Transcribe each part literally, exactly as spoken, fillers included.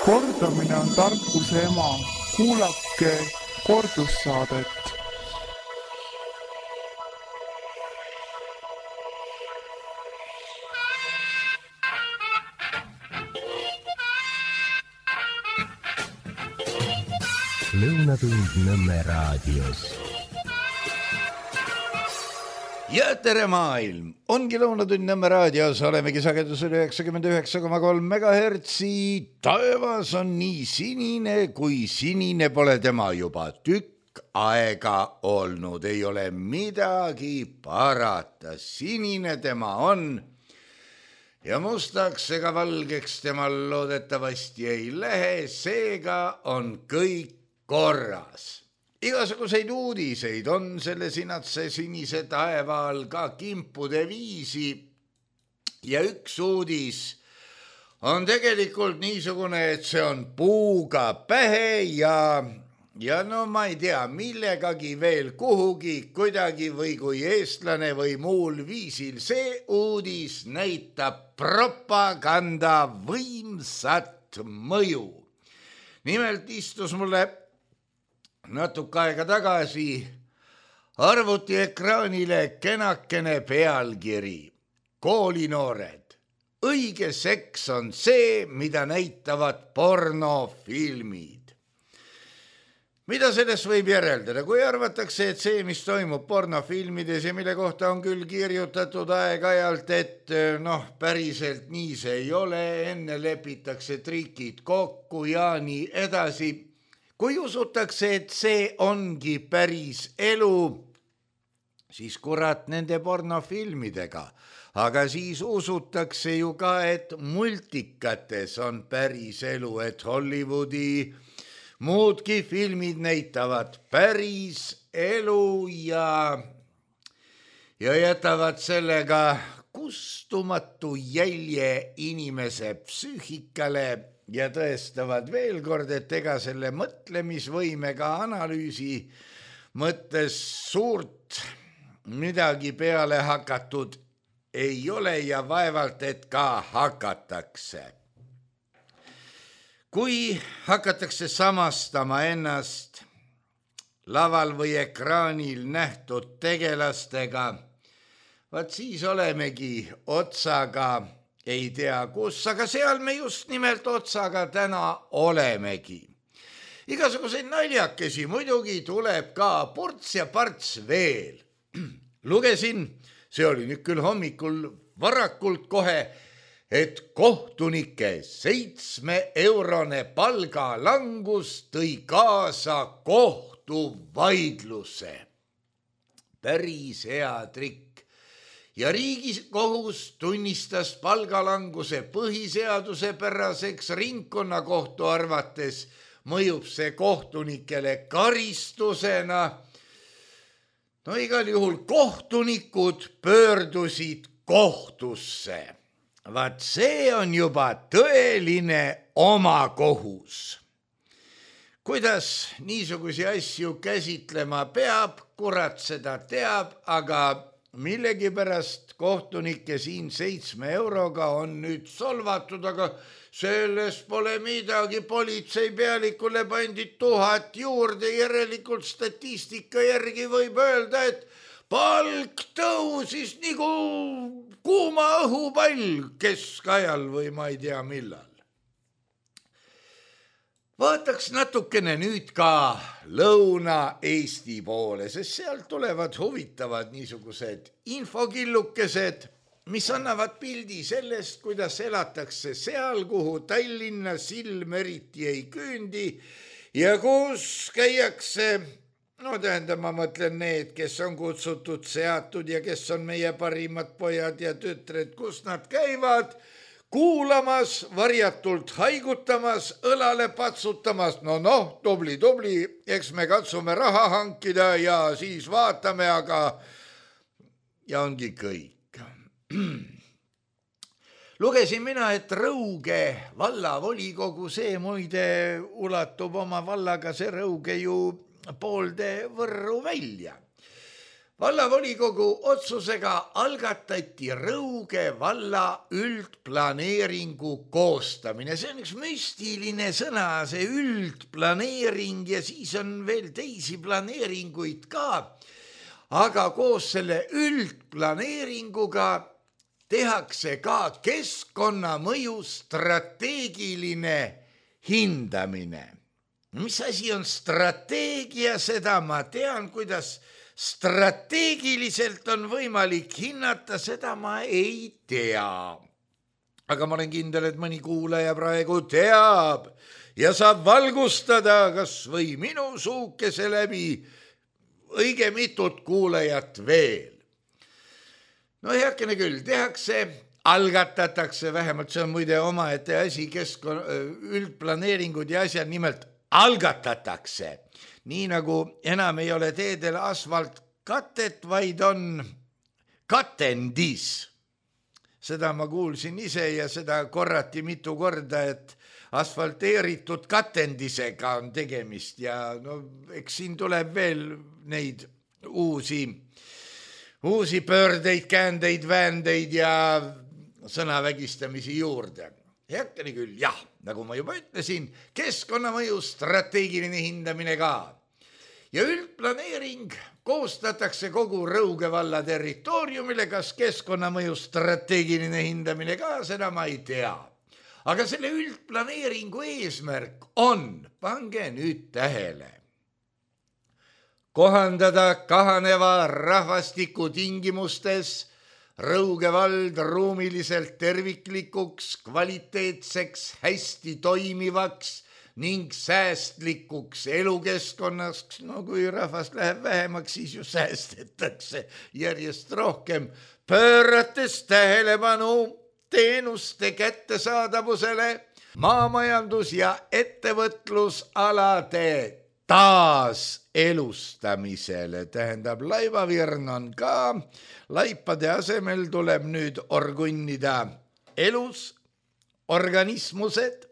Kordamine on tarkuse ema. Kuulake kordussaadet. Lõunatund Nõmme raadios. Ja tere maailm! Ongi Lõunatund Nõmme raadios, olemegi sagedusel üheksakümmend üheksa koma kolm megahertsi. Taevas on nii sinine, kui sinine pole tema juba tükk aega olnud. Ei ole midagi parata. Sinine tema on. Ja mustaks ega valgeks temal loodetavasti ei lähe. Seega on kõik korras. Igasuguseid uudiseid on selle sinatse sinise taevaal ka kimpude viisi ja üks uudis on tegelikult niisugune, et see on puuga pähe ja, ja no ma ei tea, millegagi veel kuhugi kuidagi või kui eestlane või muul viisil. See uudis näitab propaganda võimsat mõju. Nimelt istus mulle natuke aega tagasi arvuti ekraanile kenakene pealkiri. Koolinoored. Õige seks on see, mida näitavad pornofilmid. Mida sellest võib järeldada? Kui arvatakse, et see, mis toimub pornofilmides ja mille kohta on küll kirjutatud aeg-ajalt, et noh, päriselt nii see ei ole, enne lepitakse trikid kokku ja nii edasi. Kui usutakse, et see ongi päris elu, siis kurat nende pornofilmidega. Aga siis usutakse ju ka, et multikates on päris elu, et Hollywoodi muudki filmid näitavad päris elu ja, ja jätavad sellega kustumatu jälje inimese psüühikale ja tõestavad veel kord, et ega selle mõtlemisvõimega analüüsi mõttes suurt midagi peale hakatud ei ole ja vaevalt, et ka hakatakse. Kui hakatakse samastama ennast laval või ekraanil nähtud tegelastega, vaat siis olemegi otsaga ei tea kus, aga seal me just nimelt otsaga täna olemegi. Igasuguseid naljakesi muidugi tuleb ka ports ja parts veel. Lugesin, see oli nüüd küll hommikul varakult kohe, et kohtunike seitsme eurone palgalangus tõi kaasa kohtuvaidluse. Päris hea trikk. Ja Riigikohus tunnistas palgalanguse põhiseaduse päraseks. Ringkonnakohtu arvates mõjub see kohtunikele karistusena. No igal juhul kohtunikud pöördusid kohtusse. Vaat see on juba tõeline omakohus. Kuidas niisugusi asju käsitlema peab, kurat seda teab, aga millegipärast kohtunike siin seitsme euroga on nüüd solvatud, aga sellest pole midagi, politsei pealikule pandi tuhat juurde, järelikult statistika järgi võib öelda, et palk tõusis nagu kuuma õhupall keskajal või ma ei tea millal. Vaataks natukene nüüd ka Lõuna-Eesti poole, sest sealt tulevad huvitavad niisugused infokillukesed, mis annavad pildi sellest, kuidas elatakse seal, kuhu Tallinna silm eriti ei küündi ja kus käiakse, no tähendab, ma mõtlen need, kes on kutsutud, seatud ja kes on meie parimad pojad ja tütred, kus nad käivad, kuulamas, varjatult haigutamas, õlale patsutamas, no noh, tubli, tubli, eks me katsume raha hankida ja siis vaatame, aga ja ongi kõik. Lugesin mina, et Rõuge vallavolikogu, see muide ulatub oma vallaga see Rõuge ju poolde Võrru välja. Vallavolikogu otsusega algatati Rõuge valla üldplaneeringu koostamine. See on üks müstiline sõna, see üldplaneering ja siis on veel teisi planeeringuid ka. Aga koos selle üldplaneeringuga tehakse ka keskkonnamõju strateegiline hindamine. Mis asi on strateegia, seda ma tean, kuidas strateegiliselt on võimalik hinnata, seda ma ei tea. Aga ma olen kindel, et mõni kuulaja praegu teab ja saab valgustada kas või minu suukese läbi õige mitut kuulajat veel. No heakene küll, tehakse, algatatakse, vähemalt see on muide omaette asi, keskkonna üldplaneeringud ja asjad nimelt algatatakse. Nii nagu enam ei ole teedel asfaltkatet, vaid on katendis. Seda ma kuulsin ise ja seda korrati mitu korda, et asfalteeritud katendisega on tegemist ja no, eks siin tuleb veel neid uusi, uusi pöördeid, käändeid, väändeid ja sõnavägistamisi juurde. Heakene küll, jah, nagu ma juba ütlesin, keskkonnamõju strateegiline hindamine ka. Ja üldplaneering koostatakse kogu Rõuge valla territooriumile, kas keskkonnamõju strateegiline hindamine ka, seda ma ei tea. Aga selle üldplaneeringu eesmärk on, pange nüüd tähele, kohandada kahaneva rahvastiku tingimustes Rõuge vald ruumiliselt terviklikuks, kvaliteetseks, hästi toimivaks ning säästlikuks elukeskkonnaks. No kui rahvast läheb vähemaks, siis ju säästetakse järjest rohkem, pöörates tähelepanu teenuste kättesaadavusele, maamajandus- ja ettevõtlusalade taas elustamisele. Tähendab, laivavirn on ka, laipade asemel tuleb nüüd orgunnida elus organismused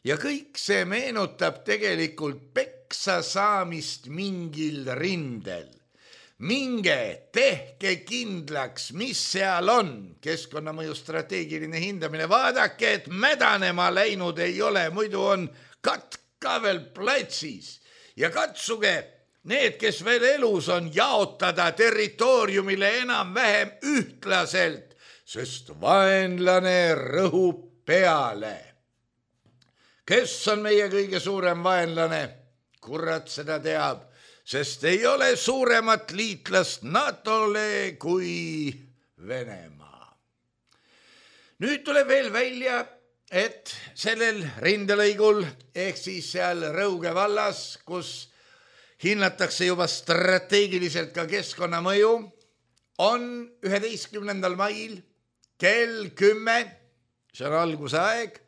ja kõik see meenutab tegelikult peksa saamist mingil rindel. Minge, tehke kindlaks, mis seal on, keskkonnamõju strateegiline hindamine, vaadake, et mädanema läinud ei ole, muidu on katk ka veel platsis ja katsuge need, kes veel elus on, jaotada territooriumile enam-vähem ühtlaselt, sest vaenlane rõhub peale. Kes on meie kõige suurem vaenlane? Kurat seda teab, sest ei ole suuremat liitlast NATOle kui Venemaa. Nüüd tuleb veel välja, et sellel rindelõigul ehk siis seal Rõuge vallas, kus hinnatakse juba strateegiliselt ka keskkonnamõju, on üheteistkümnendal mail kell kümme, see on algusaeg,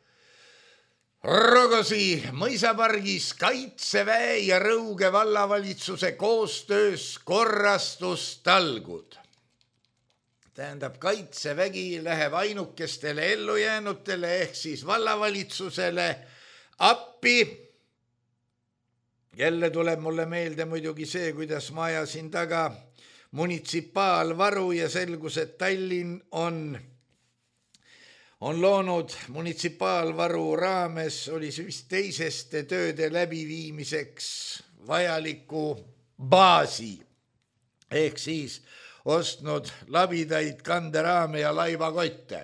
Rogosi mõisapargis Kaitseväe ja Rõuge vallavalitsuse koostöös korrastustalgud. Tähendab, Kaitsevägi läheb ainukestele ellujäänutele ehk siis vallavalitsusele appi. Jälle tuleb mulle meelde muidugi see, kuidas ma ajasin taga munitsipaalvaru ja selgus, et Tallinn on, on loonud munitsipaalvaru raames, oli see vist teiseste tööde läbiviimiseks vajaliku baasi ehk siis ostnud labidaid kanderaame ja laivakotte.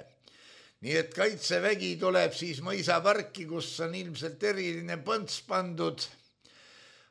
Nii et Kaitsevägi tuleb siis mõisaparki, kus on ilmselt eriline põnts pandud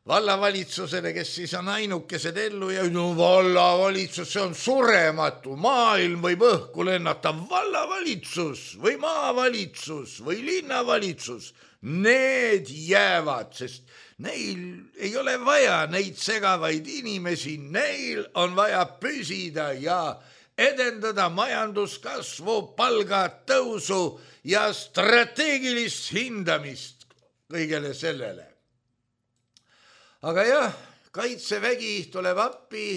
vallavalitsusele, kes siis on ainukesed ellu ja no vallavalitsus, see on surematu, maailm võib õhku lennata, vallavalitsus või maavalitsus või linnavalitsus, need jäävad, sest neil ei ole vaja neid segavaid inimesi, neil on vaja püsida ja edendada majanduskasvu, palgatõusu ja strateegilist hindamist kõigele sellele. Aga jah, Kaitsevägi tuleb appi,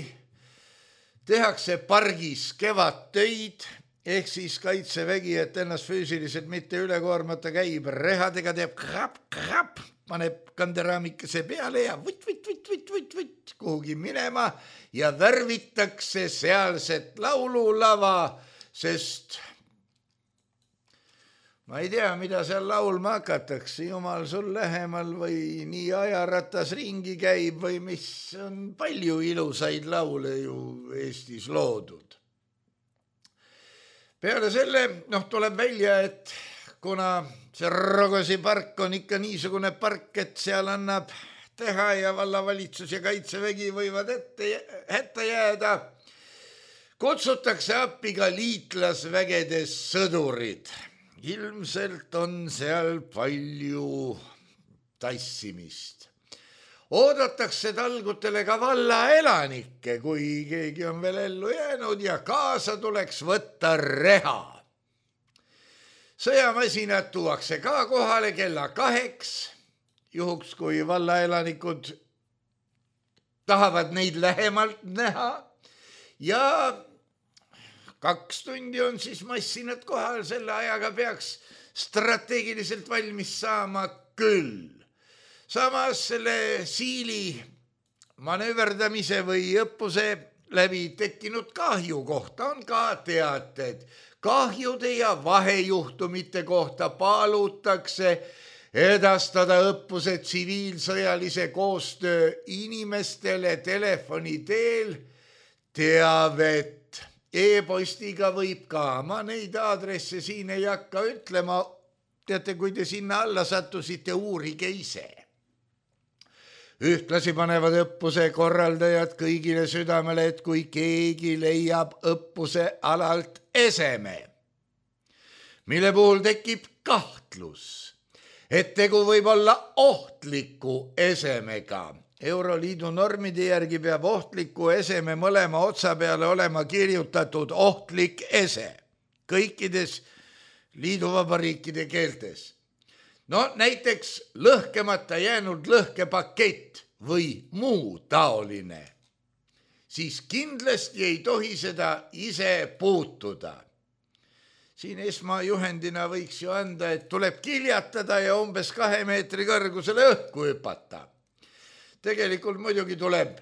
tehakse pargis kevadtöid ehk siis kaitsevägi, et ennast füüsiliselt mitte üle koormata käib rehadega, teeb krap-krap, paneb kanderaamikese peale ja võtt-võtt-võtt-võtt-võtt kuhugi minema ja värvitakse sealset laululava, sest ma ei tea, mida seal laulma hakatakse, jumal sul lähemal või nii ajaratas ringi käib või mis on palju ilusaid laule ju Eestis loodud. Peale selle, noh, tuleb välja, et kuna see Rogosi park on ikka niisugune park, et seal annab teha ja vallavalitsus ja kaitsevägi võivad ette, hätta jääda, kutsutakse appi ka liitlasvägedes sõdurid. Ilmselt on seal palju tassimist. Oodatakse talgutele ka valla elanikke, kui keegi on veel ellu jäänud ja kaasa tuleks võtta reha. Sõjamasinad tuuakse ka kohale kella kaheks, juhuks kui valla elanikud tahavad neid lähemalt näha ja kaks tundi on siis massinad kohal, selle ajaga peaks strateegiliselt valmis saama küll. Samas selle siili manööverdamise või õppuse läbi tekkinud kahju kohta on ka teated. Kahjude ja vahejuhtumite kohta palutakse edastada õppuse tsiviilsõjalise koostöö inimestele telefoni teel teavet. E-postiga võib ka, ma neid aadresse siin ei hakka ütlema, teate, kui te sinna alla sattusite, uurige ise. Ühtlasi panevad õppuse korraldajad kõigile südamele, et kui keegi leiab õppuse alalt eseme, mille puhul tekib kahtlus, et tegu võib olla ohtliku esemega. Euroliidu normide järgi peab ohtliku eseme mõlema otsa peale olema kirjutatud ohtlik ese kõikides liiduvabariikide keeltes. No näiteks lõhkemata jäänud lõhkepakett või muu taoline. Siis kindlasti ei tohi seda ise puutuda. Siin esmajuhendina võiks ju anda, et tuleb kiljatada ja umbes kahe meetri kõrgusele õhku hüpata. Tegelikult muidugi tuleb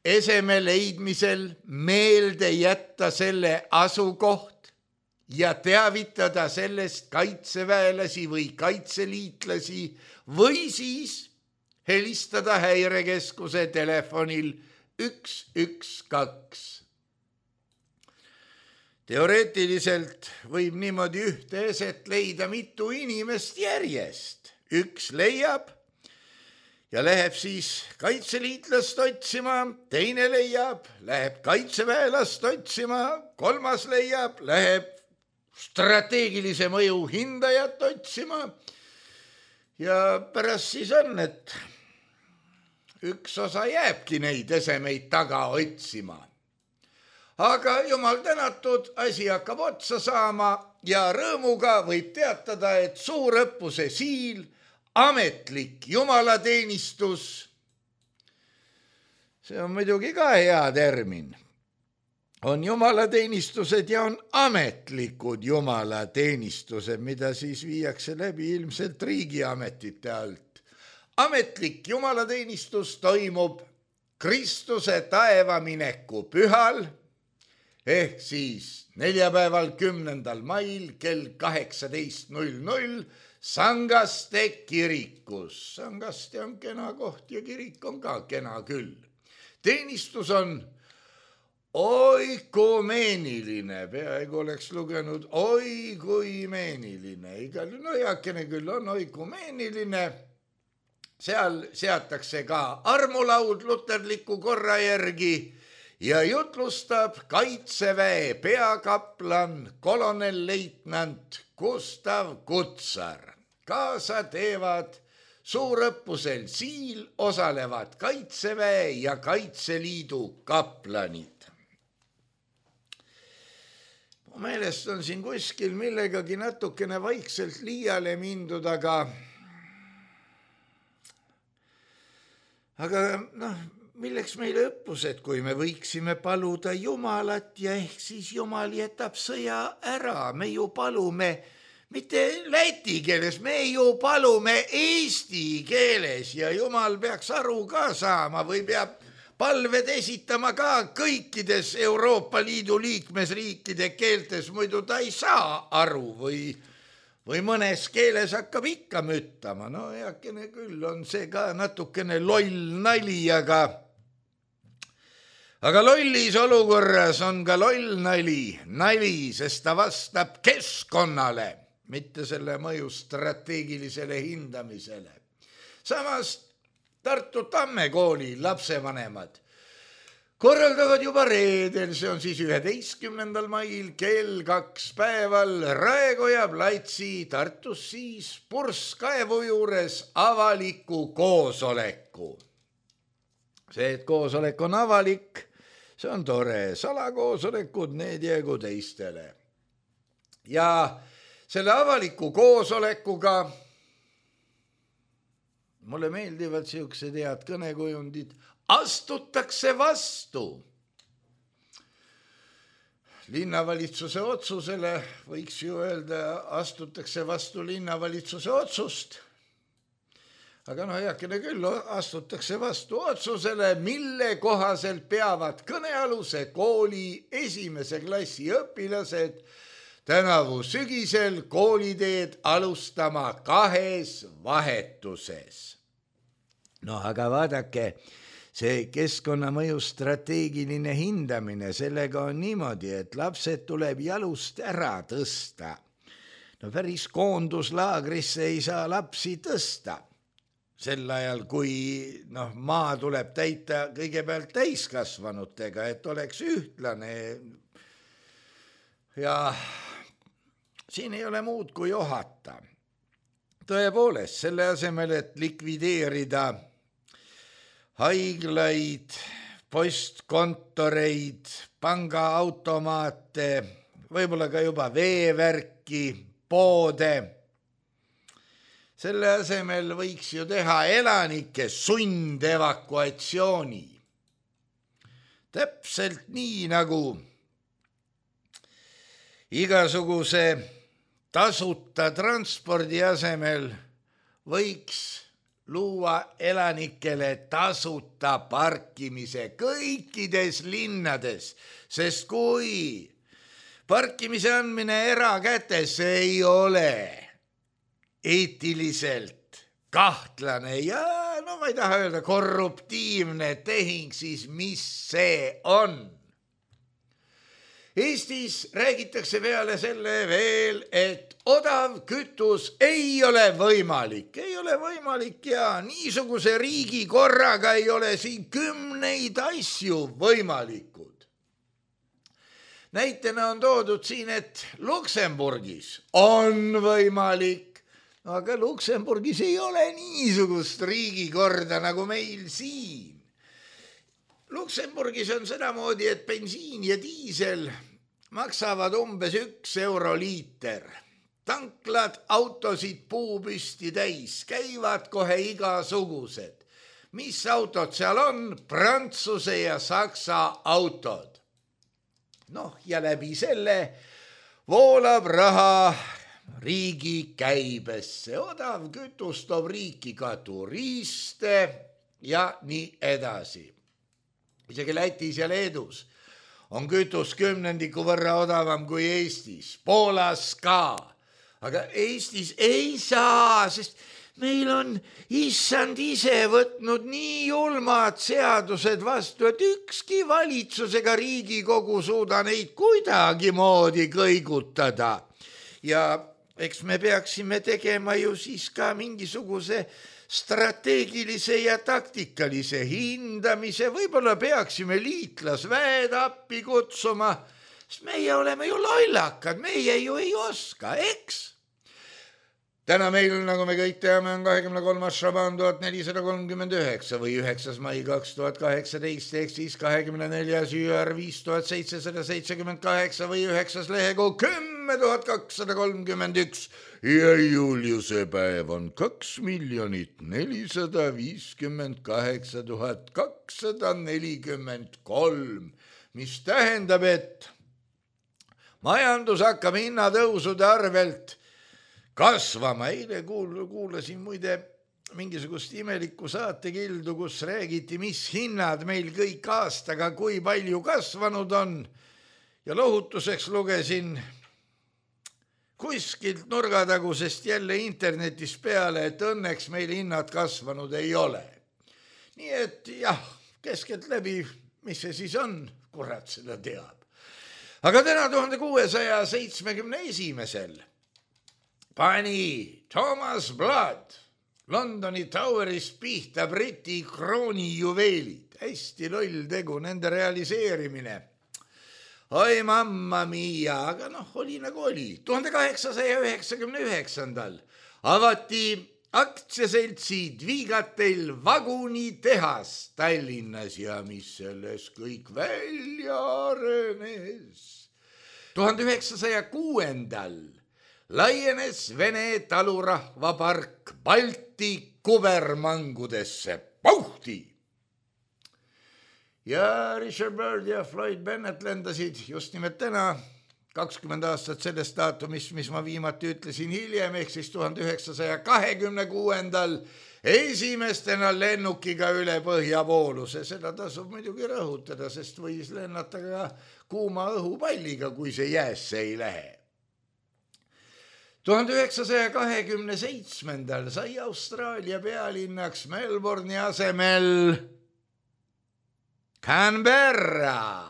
eseme leidmisel meelde jätta selle asukoht ja teavitada sellest kaitseväelasi või kaitseliitlasi või siis helistada häirekeskuse telefonil üks üks kaks. Teoreetiliselt võib niimoodi ühte eset leida mitu inimest järjest. Üks leiab ja läheb siis kaitseliitlast otsima, teine leiab, läheb kaitseväelast otsima, kolmas leiab, läheb strateegilise mõju hindajat otsima ja pärast siis on, et üks osa jääbki neid esemeid taga otsima. Aga jumal tänatud, asi hakkab otsa saama ja rõõmuga võib teatada, et suurõppuse siil ametlik jumalateenistus, see on muidugi ka hea termin, on jumalateenistused ja on ametlikud jumalateenistused, mida siis viiakse läbi ilmselt riigiametite alt. Ametlik jumalateenistus toimub Kristuse taevamineku pühal, ehk siis neljapäeval kümnendal mail kell kaheksateist null null Sangaste kirikus. Sangaste on kena koht ja kirik on ka kena küll. Teenistus on oikumeeniline, peaaegu oleks lugenud oikumeeniline, igal no heakene küll on oikumeeniline. Seal seatakse ka armulaud luterliku korra järgi ja jutlustab kaitseväe peakaplan kolonelleitnant Gustav Kutsar. Kaasa teevad suurõppusel siil, osalevad kaitseväe ja kaitseliidu kaplanid. Mu meelest on siin kuskil millegagi natukene vaikselt liiale mindud, aga aga noh, milleks meile õppused, kui me võiksime paluda Jumalat ja ehk siis Jumal jätab sõja ära, me ju palume mitte läti keeles, me ju palume eesti keeles ja Jumal peaks aru ka saama või peab palved esitama ka kõikides Euroopa Liidu liikmesriikide keeltes, muidu ta ei saa aru või, või mõnes keeles hakkab ikka müttama. No heakene küll on see ka natukene loll nali, aga, aga lollis olukorras on ka loll nali, nali, sest ta vastab keskkonnale, mitte selle mõju strateegilisele hindamisele. Samas Tartu Tamme kooli lapsevanemad korraldavad juba reedel, see on siis üheteistkümnendal mail kell kaks päeval Raekoja platsi Tartus siis purskkaevu juures avaliku koosoleku. See, et koosolek on avalik, see on tore, salakoosolekud, need jäägu teistele. Ja selle avaliku koosolekuga mulle meeldivad siuksed head kõnekujundid, astutakse vastu. Linnavalitsuse otsusele, võiks ju öelda, astutakse vastu linnavalitsuse otsust. Aga no heakene küll, astutakse vastu otsusele, mille kohaselt peavad kõnealuse kooli esimese klassi õpilased tänavu sügisel kooliteed alustama kahes vahetuses. No aga vaadake, see keskkonnamõju strateegiline hindamine, sellega on niimoodi, et lapsed tuleb jalust ära tõsta. No päris koonduslaagrisse ei saa lapsi tõsta. Sel ajal, kui no, maa tuleb täita kõigepealt täiskasvanutega, et oleks ühtlane. Ja siin ei ole muud kui ohata. Tõepoolest, selle asemel, et likvideerida haiglaid, postkontoreid, pangaautomaate, võib-olla ka juba veevärki, poode. Selle asemel võiks ju teha elanike sundevakuatsiooni. Täpselt nii nagu igasuguse tasuta transpordi asemel võiks luua elanikele tasuta parkimise kõikides linnades, sest kui parkimise andmine erakätes ei ole eetiliselt kahtlane ja no ma ei taha öelda korruptiivne tehing, siis mis see on? Eestis räägitakse peale selle veel, et odav kütus ei ole võimalik. Ei ole võimalik ja niisuguse riigi korraga ei ole siin kümneid asju võimalikud. Näitena on toodud siin, et Luksemburgis on võimalik, aga Luksemburgis ei ole niisugust riigikorda nagu meil siin. Luksemburgis on sedamoodi, et bensiin ja diisel maksavad umbes üks euro liiter. Tanklad autosid puupüsti täis, käivad kohe igasugused. Mis autod seal on? Prantsuse ja Saksa autod. Noh, ja läbi selle voolab raha riigi käibesse. Odav kütus toob riiki ka turiste ja nii edasi. Isegi Lätis ja Leedus on kütus kümnendiku võrra odavam kui Eestis, Poolas ka. Aga Eestis ei saa, sest meil on issand ise võtnud nii julmad seadused vastu, et ükski valitsusega Riigikogu suuda neid kuidagi moodi kõigutada. Ja eks me peaksime tegema ju siis ka mingisuguse strateegilise ja taktikalise hindamise, võib-olla peaksime liitlasväed appi kutsuma, sest meie oleme ju lollakad, meie ju ei oska, eks? täna meil, nagu me kõik teame, on kahekümne kolmas Šaban tuhat nelisada kolmkümmend üheksa või üheksas mai kaks tuhat kaheksateist ehk siis kahekümne neljas jüär viis tuhat seitsesada seitsekümmend kaheksa või üheksas lehekuu kümme tuhat kakssada kolmkümmend üks ja Juliuse päev on kaks miljonit nelisada viiskümmend kaheksa tuhat kakssada nelikümmend kolm, mis tähendab, et majandus hakkab hinnatõusude arvelt kasvama. Eile kuul, kuulasin muide mingisugust imelikku saatekildu, kus räägiti, mis hinnad meil kõik aastaga, kui palju kasvanud on. Ja lohutuseks lugesin kuskilt nurgatagusest jälle internetis peale, et õnneks meil hinnad kasvanud ei ole. Nii et jah, keskelt läbi, mis see siis on, kurat seda teab. Aga täna tuhande kuuesaja seitsmekümne esimesel pani Thomas Blood Londoni Toweris pihta Briti krooni juveelid. Hästi loll tegu, nende realiseerimine. Oi mamma mia, aga noh, oli nagu oli. tuhande kaheksasaja üheksakümne üheksandal avati aktsiaseltsi Dvigatel vagunitehas Tallinnas ja mis selles kõik välja arenes. tuhande üheksasaja kuuendal laienes Vene talurahvapark Balti kubermangudesse. Pauhti! Ja Richard Byrd ja Floyd Bennett lendasid just nimelt täna kakskümmend aastat sellest daatumist, mis ma viimati ütlesin hiljem, ehk siis tuhande üheksasaja kahekümne kuuendal esimestena lennukiga üle põhjavooluse. Seda tasub muidugi rõhutada, sest võis lennata ka kuuma õhupalliga, kui see jäässe ei lähe. tuhande üheksasaja kahekümne seitsmendal sai Austraalia pealinnaks Melbourne'i asemel Canberra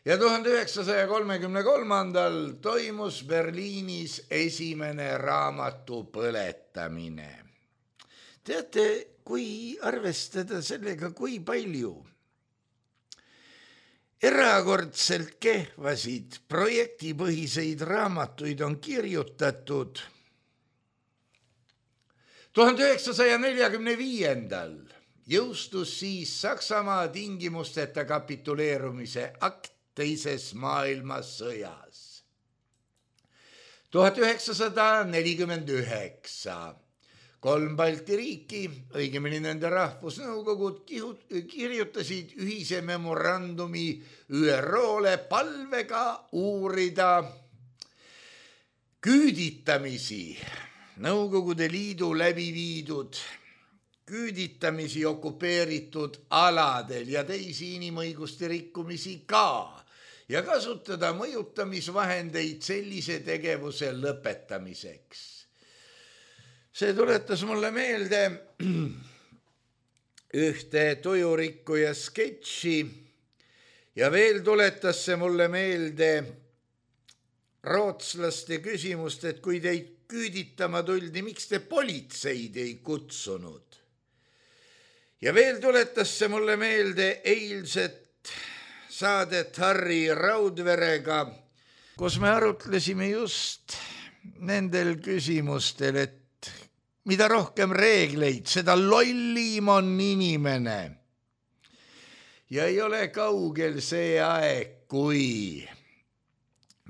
ja tuhande üheksasaja kolmekümne kolmandal toimus Berliinis esimene raamatu põletamine. Teate, kui arvestada sellega, kui palju erakordselt kehvasid projektipõhiseid raamatuid on kirjutatud. tuhande üheksasaja neljakümne viiendal jõustus siis Saksamaa tingimusteta kapituleerumise akt teises maailmasõjas. tuhat üheksasada nelikümmend üheksa kolm Balti riiki, õigemini nende rahvusnõukogud kirjutasid ühise memorandumi Ü R O-le palvega uurida küüditamisi, Nõukogude Liidu läbi viidud küüditamisi okupeeritud aladel ja teisi inimõiguste rikkumisi ka ja kasutada mõjutamisvahendeid sellise tegevuse lõpetamiseks. See tuletas mulle meelde ühte tujurikkuja sketši ja veel tuletas see mulle meelde rootslaste küsimust, et kui teid küüditama tuldi, miks te politseid ei kutsunud. Ja veel tuletas see mulle meelde eilset saadet Harri Raudverega, kus me arutlesime just nendel küsimustel, et mida rohkem reegleid, seda lollim on inimene. Ja ei ole kaugel see aeg, kui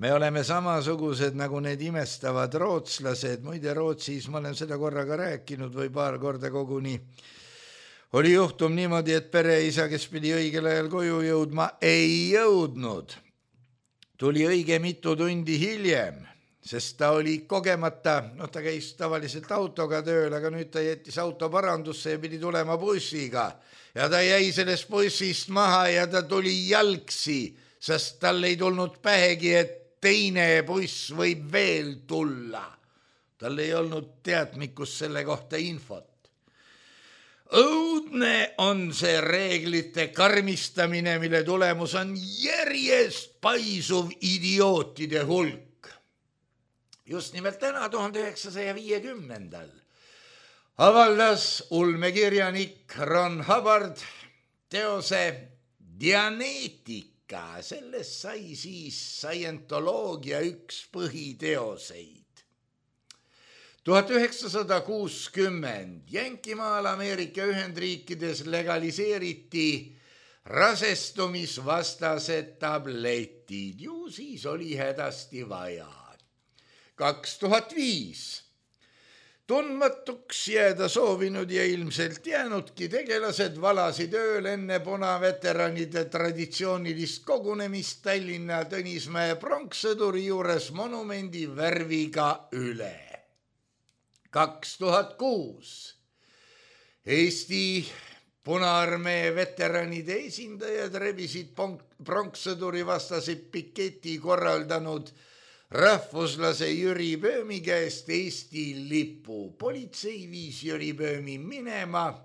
me oleme samasugused nagu need imestavad rootslased. Muide, Rootsis, ma olen seda korraga rääkinud või paar korda koguni, oli juhtum niimoodi, et pereisa, kes pidi õigel ajal koju jõudma, ei jõudnud. Tuli õige mitu tundi hiljem, sest ta oli kogemata, noh ta käis tavaliselt autoga tööl, aga nüüd ta jättis auto parandusse ja pidi tulema bussiga. Ja ta jäi sellest bussist maha ja ta tuli jalgsi, sest tal ei tulnud pähegi, et teine buss võib veel tulla. Tal ei olnud teadmikus selle kohta infot. Õudne on see reeglite karmistamine, mille tulemus on järjest paisuv idiootide hulk. Just nimelt täna tuhande üheksasaja viiekümnendal avaldas ulmekirjanik Ron Hubbard teose Dianeetika. Sellest sai siis scientoloogia üks põhiteoseid. tuhat üheksasada kuuskümmend Jänkimaal Ameerika Ühendriikides legaliseeriti rasestumisvastased tabletid. Ju siis oli hädasti vaja. kaks tuhat viis Tundmatuks jääda soovinud ja ilmselt jäänudki tegelased valasid ööl enne punaveteranide traditsioonilist kogunemist Tallinna Tõnismäe pronkssõduri juures monumendi värviga üle. kaks tuhat kuus Eesti Punaarmee veteranide esindajad rebisid pronkssõduri vastase piketi korraldanud rahvuslase Jüri Pöömi käest Eesti lipu. Politsei viis Jüri Pöömi minema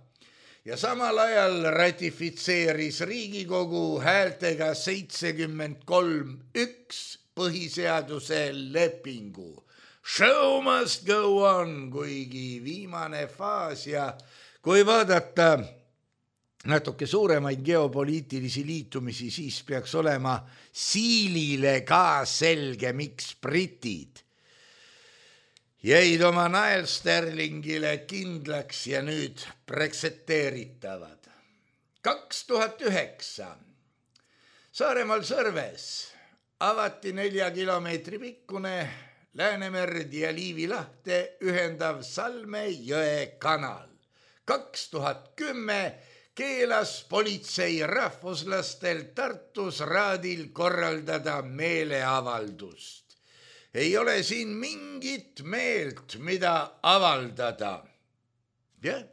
ja samal ajal ratifitseeris Riigikogu häältega seitsekümmend kolm üks põhiseaduse lepingu. Show must go on, kuigi viimane faas ja kui vaadata natuke suuremaid geopoliitilisi liitumisi, siis peaks olema Siilile ka selge, miks britid jäid oma Niall Sterlingile kindlaks ja nüüd brexiteeritavad. kaks tuhat üheksa Saaremaal Sõrves avati nelja kilomeetri pikkune Läänemerd ja Liivi lahte ühendav Salme jõe kanal. kaks tuhat kümme keelas politsei rahvuslastel Tartus Raadil korraldada meeleavaldust. Ei ole siin mingit meelt, mida avaldada. Jah,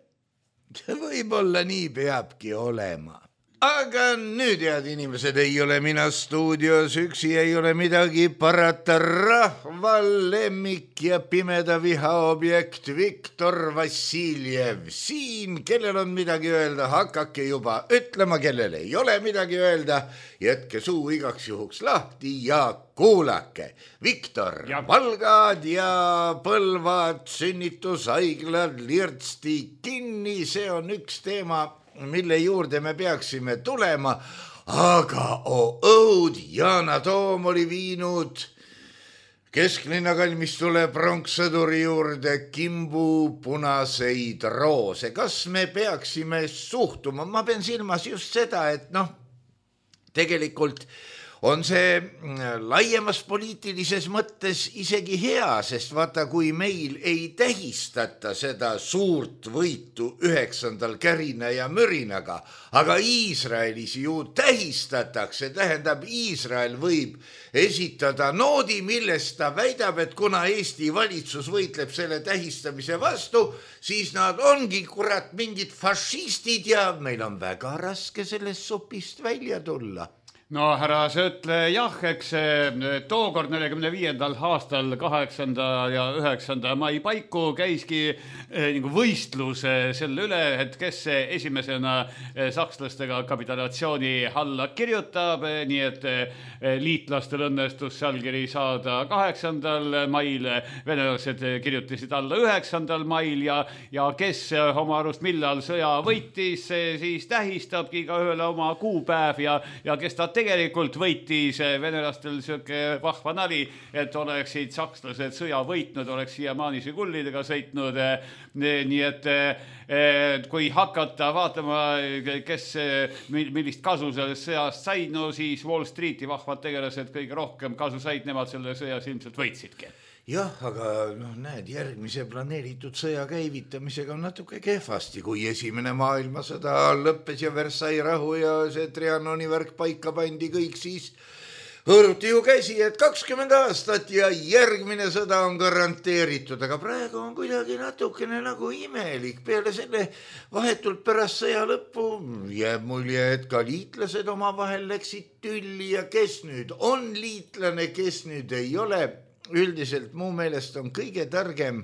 võib-olla nii peabki olema. Aga nüüd, head inimesed, ei ole mina stuudios üksi, ei ole midagi parata. Rahval lemmik ja pimeda viha objekt Viktor Vassiljev. Siin, kellel on midagi öelda, hakake juba ütlema, kellel ei ole midagi öelda. Jätke suu igaks juhuks lahti ja kuulake. Viktor, ja. Valgad ja Põlvad, sünnitusaiglad, lirtsti kinni, see on üks teema, mille juurde me peaksime tulema, aga oh, õud, Yana Toom oli viinud kesklinna kalmistule pronkssõduri juurde kimbu punaseid roose. Kas me peaksime suhtuma? Ma pean silmas just seda, et noh, tegelikult on see laiemas poliitilises mõttes isegi hea, sest vaata, kui meil ei tähistata seda suurt võitu üheksandal kärina ja mürinaga, aga Iisraelis ju tähistatakse, tähendab, Iisrael võib esitada noodi, millest ta väidab, et kuna Eesti valitsus võitleb selle tähistamise vastu, siis nad ongi kurat mingid fašistid ja meil on väga raske sellest sopist välja tulla. No härra Söötle, jah, eks tookord nelikümne viiendal aastal kaheksanda ja üheksanda mai paiku käiski nagu võistlus selle üle, et kes esimesena sakslastega kapitulatsiooni alla kirjutab, nii et liitlastel õnnestus sealkiri saada kaheksandal mail, venelased kirjutasid alla üheksandal mail ja, ja kes oma arust millal sõja võitis, siis tähistabki ka ühele oma kuupäev ja, ja kes ta tegelikult võitis venelastel sööke vahva nali, et oleksid sakslased sõja võitnud, oleks siiamaani Žigullidega sõitnud. Nii et kui hakata vaatama, kes millist kasu sellest sõjast said, no siis Wall Streeti vahvad tegelased kõige rohkem kasu said, nemad selle sõjas ilmselt võitsidki. Jah, aga noh, näed, järgmise planeeritud sõja käivitamisega on natuke kehvasti, kui esimene maailmasõda lõppes ja Versailles rahu ja see Trianoni värk paika pandi kõik, siis hõõruti ju käsi, et kakskümmend aastat ja järgmine sõda on garanteeritud, aga praegu on kuidagi natukene nagu imelik. Peale selle vahetult pärast sõja lõppu jääb mulje, et ka liitlased oma vahel läksid tülli ja kes nüüd on liitlane, kes nüüd ei ole. Üldiselt muu meelest on kõige targem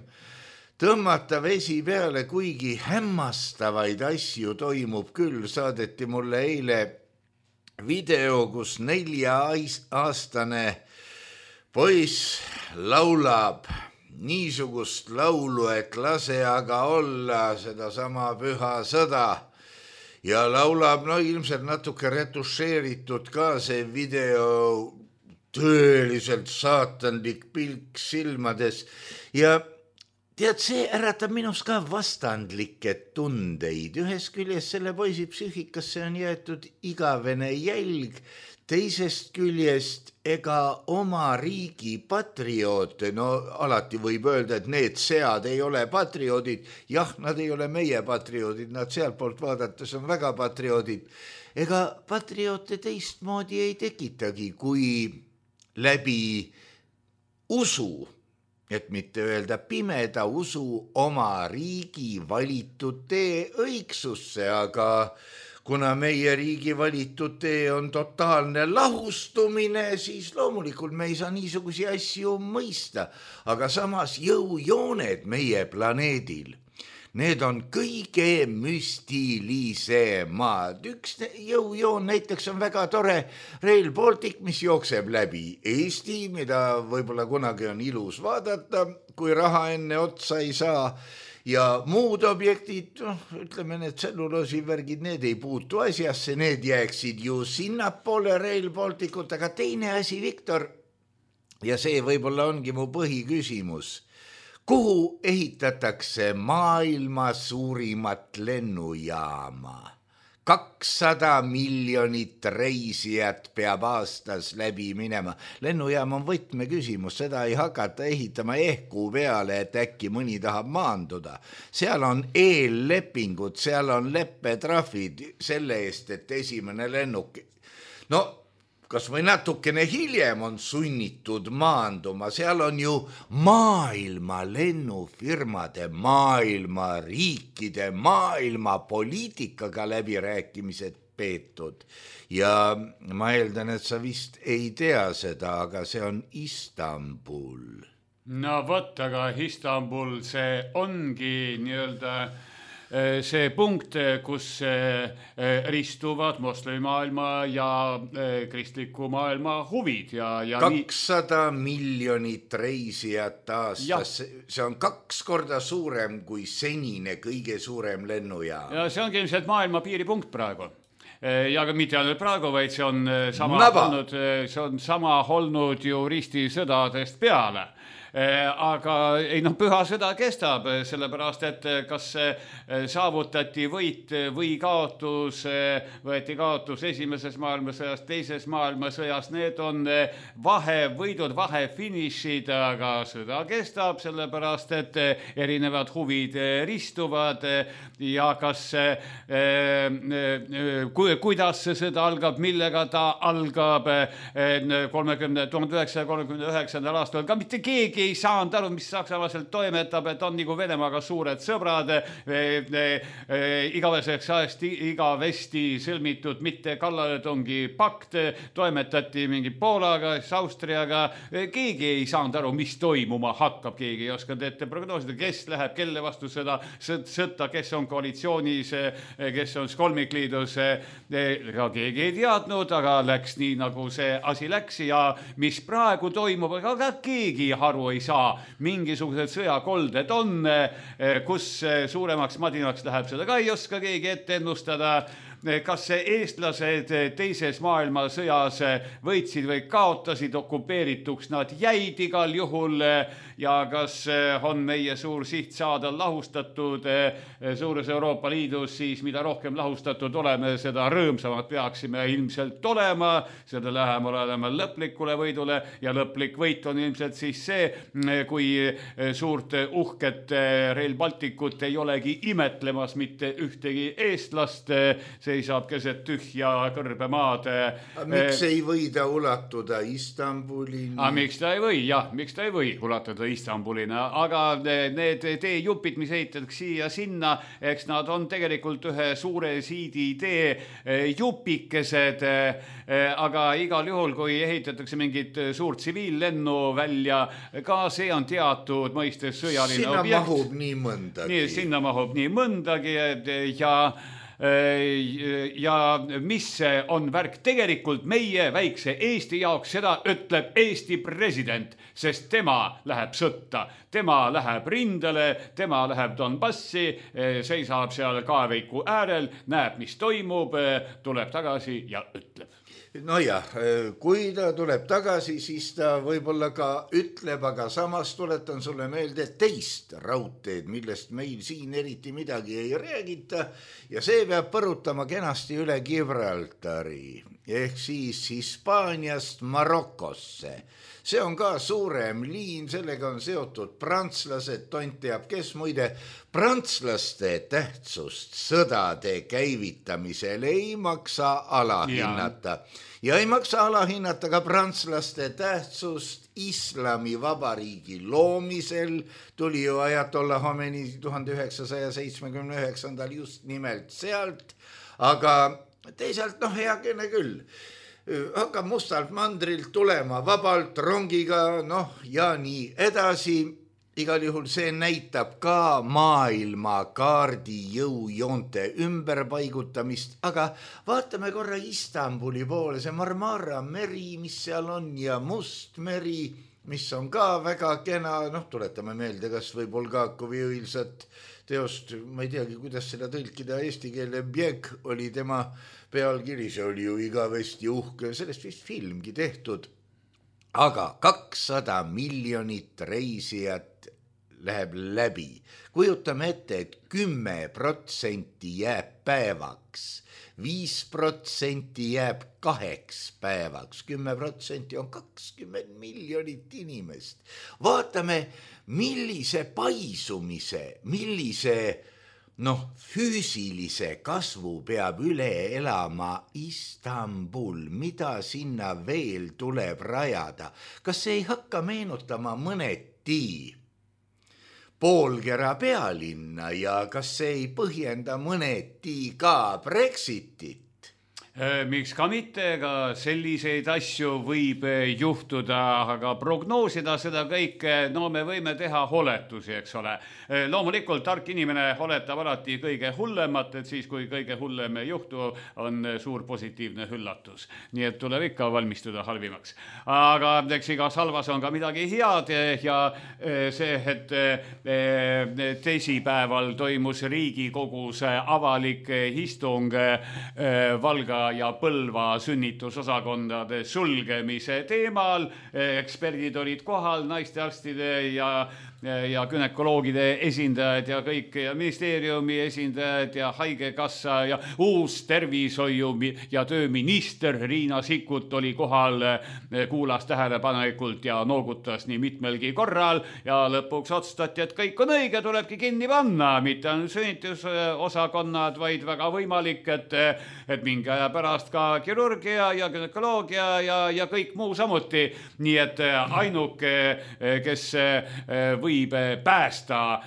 tõmmata vesi peale, kuigi hämmastavaid asju toimub küll. Saadeti mulle eile video, kus nelja-aastane poiss laulab niisugust laulu, et lase aga olla sedasama püha sõda. Ja laulab, no ilmselt natuke retušeeritud ka see video, tõeliselt saatanlik pilk silmades ja tead, see äratab minus ka vastandlikke tundeid. Ühest küljest selle poisi psüühikasse on jäetud igavene jälg, teisest küljest ega oma riigi patrioote, no alati võib öelda, et need sead ei ole patrioodid. Jah, nad ei ole meie patrioodid, nad sealtpoolt vaadates on väga patrioodid. Ega patrioote teistmoodi ei tekitagi, kui läbi usu, et mitte öelda pimeda usu oma riigi valitud tee õigsusse, aga kuna meie riigi valitud tee on totaalne lahustumine, siis loomulikult me ei saa niisugusi asju mõista, aga samas jõujooned meie planeedil, need on kõige müstilisemad. Üks jõujoon näiteks on väga tore Rail Baltic, mis jookseb läbi Eesti, mida võib-olla kunagi on ilus vaadata, kui raha enne otsa ei saa. Ja muud objektid, no, ütleme need tselluloosivärgid, need ei puutu asjasse, need jääksid ju sinnapoole Rail Balticut, aga teine asi, Viktor, ja see võib-olla ongi mu põhiküsimus. Kuhu ehitatakse maailma suurimat lennujaama? kakssada miljonit reisijat peab aastas läbi minema. Lennujaam on võtmeküsimus, seda ei hakata ehitama ehku peale, et äkki mõni tahab maanduda. Seal on eellepingud, seal on leppetrahvid selle eest, et esimene lennuk... No, kas või natukene hiljem on sunnitud maanduma, seal on ju maailma lennufirmade, maailma riikide, maailma poliitikaga läbirääkimised peetud. Ja ma eeldan, et sa vist ei tea seda, aga see on Istanbul. No vot, aga Istanbul, see ongi nii-öelda see punkt, kus ristuvad moslemimaailma ja kristliku maailma huvid. Ja, ja kakssada miljonit reisijat aastas, see on kaks korda suurem kui senine kõige suurem lennujaam. Ja see ongi ilmselt maailma piiripunkt praegu. Ja ka mitte ainult praegu, vaid see on sama, olnud, see on sama olnud ju ristisõdadest peale. Aga ei, no, püha sõda kestab, sellepärast, et kas saavutati võit või kaotus, võeti kaotus esimeses maailmasõjas, teises maailmasõjas, need on vahevõidud, vahefinišid, aga sõda kestab, sellepärast, et erinevad huvid ristuvad ja kas, kuidas see sõda algab, millega ta algab kolmekümne, tuhande üheksasaja kolmekümne üheksandal aastal, ka mitte keegi ei saanud aru, mis Saksamaa sealt toimetab, et on nagu Venemaaga suured sõbrad, igaveseks ajast igavesti sõlmitud mitte kallaletungi pakt, toimetati mingi Poolaga, Austriaga, keegi ei saanud aru, mis toimuma hakkab, keegi ei oskanud ette prognoosida, kes läheb, kelle vastu seda sõtta, kes on koalitsioonis, kes on kolmikliidus, ka keegi ei teadnud, aga läks nii, nagu see asi läks ja mis praegu toimub, aga keegi haru ei saa, mingisugused sõjakolded on, kus suuremaks madinaks läheb, seda ka ei oska keegi ette ennustada. Kas eestlased teises maailmasõjas võitsid või kaotasid, okupeerituks nad jäid igal juhul ja kas on meie suur siht saada lahustatud suures Euroopa Liidus, siis mida rohkem lahustatud oleme, seda rõõmsamad peaksime ilmselt olema, seda lähemal olema lõplikule võidule ja lõplik võit on ilmselt siis see, kui suurt uhket Rail Balticut ei olegi imetlemas mitte ühtegi eestlast, seisab keset tühja kõrbemaad. Miks ei või ta ulatuda Istanbulini? A, miks ta ei või, jah, miks ta ei või ulatuda Istanbulina, aga need teejupid, mis ehitatakse siia sinna, eks nad on tegelikult ühe suure siidi tee jupikesed, aga igal juhul, kui ehitatakse mingit suurt tsiviillennu välja, ka see on teatud mõistes sõjaline sinna objekt. Mahub nii mõndagi. Nii, sinna mahub nii mõndagi ja ja mis on värk tegelikult meie väikse Eesti jaoks, seda ütleb Eesti president, sest tema läheb sõtta, tema läheb rindele, tema läheb Donbassi, seisab seal kaeveiku äärel, näeb, mis toimub, tuleb tagasi ja ütleb. nojah, kui ta tuleb tagasi, siis ta võib-olla ka ütleb, aga samas tuletan sulle meelde teist raudteed, millest meil siin eriti midagi ei räägita ja see peab põrutama kenasti üle Gibraltari ehk siis Hispaaniast Marokosse. See on ka suurem liin, sellega on seotud prantslased, tont teab kes, muide prantslaste tähtsust sõdade käivitamisel ei maksa alahinnata. Ja ei maksa alahinnata ka prantslaste tähtsust Islami vabariigi loomisel, tuli ju Ajatollah Khomeini tuhande üheksasaja seitsmekümne üheksandal just nimelt sealt, aga teisalt noh, heakene küll. Hakkab mustalt mandrilt tulema vabalt rongiga, noh ja nii edasi. Igal juhul see näitab ka maailma kaardi jõujoonte ümberpaigutamist, aga vaatame korra Istanbuli poole, see Marmara meri, mis seal on ja Must meri, mis on ka väga kena, noh tuletame meelde, kas või Bulgakovi õilsat teost, ma ei teagi, kuidas seda tõlkida eesti keele, Bjeg oli tema pealkiri, see oli ju igavesti uhke, sellest vist filmgi tehtud. Aga kakssada miljonit reisijat läheb läbi. Kujutame ette, et kümme protsenti jääb päevaks, viis protsenti jääb kaheks päevaks, kümme protsenti on kakskümmend miljonit inimest. Vaatame, millise paisumise, millise noh, füüsilise kasvu peab üle elama Istanbul, mida sinna veel tuleb rajada. Kas see ei hakka meenutama mõneti poolkera pealinna ja kas see ei põhjenda mõneti ka Brexitit? Miks ka mitte, ega selliseid asju võib juhtuda, aga prognoosida seda kõike, no me võime teha oletusi, eks ole. Loomulikult tark inimene oletab alati kõige hullemat, et siis kui kõige hullem juhtu on suur positiivne üllatus. Nii et tuleb ikka valmistuda halvimaks. Aga eks igas halvas on ka midagi head ja see, et teisipäeval toimus Riigikogus avalik istung Valga ja Põlva sünnitusosakondade sulgemise teemal. Eksperdid olid kohal, naistearstide ja ja gynekoloogide esindajad ja kõik ja ministeeriumi esindajad ja haigekassa ja uus tervishoiu ja tööminister Riina Sikkut oli kohal, kuulas tähelepanelikult ja noogutas nii mitmelgi korral ja lõpuks otsustati, et kõik on õige, tulebki kinni panna, mitte on sünnitusosakonnad, vaid väga võimalik, et, et mingi aja pärast ka kirurgia ja gynekoloogia ja, ja kõik muu samuti. Nii et ainuke, kes võib võib päästa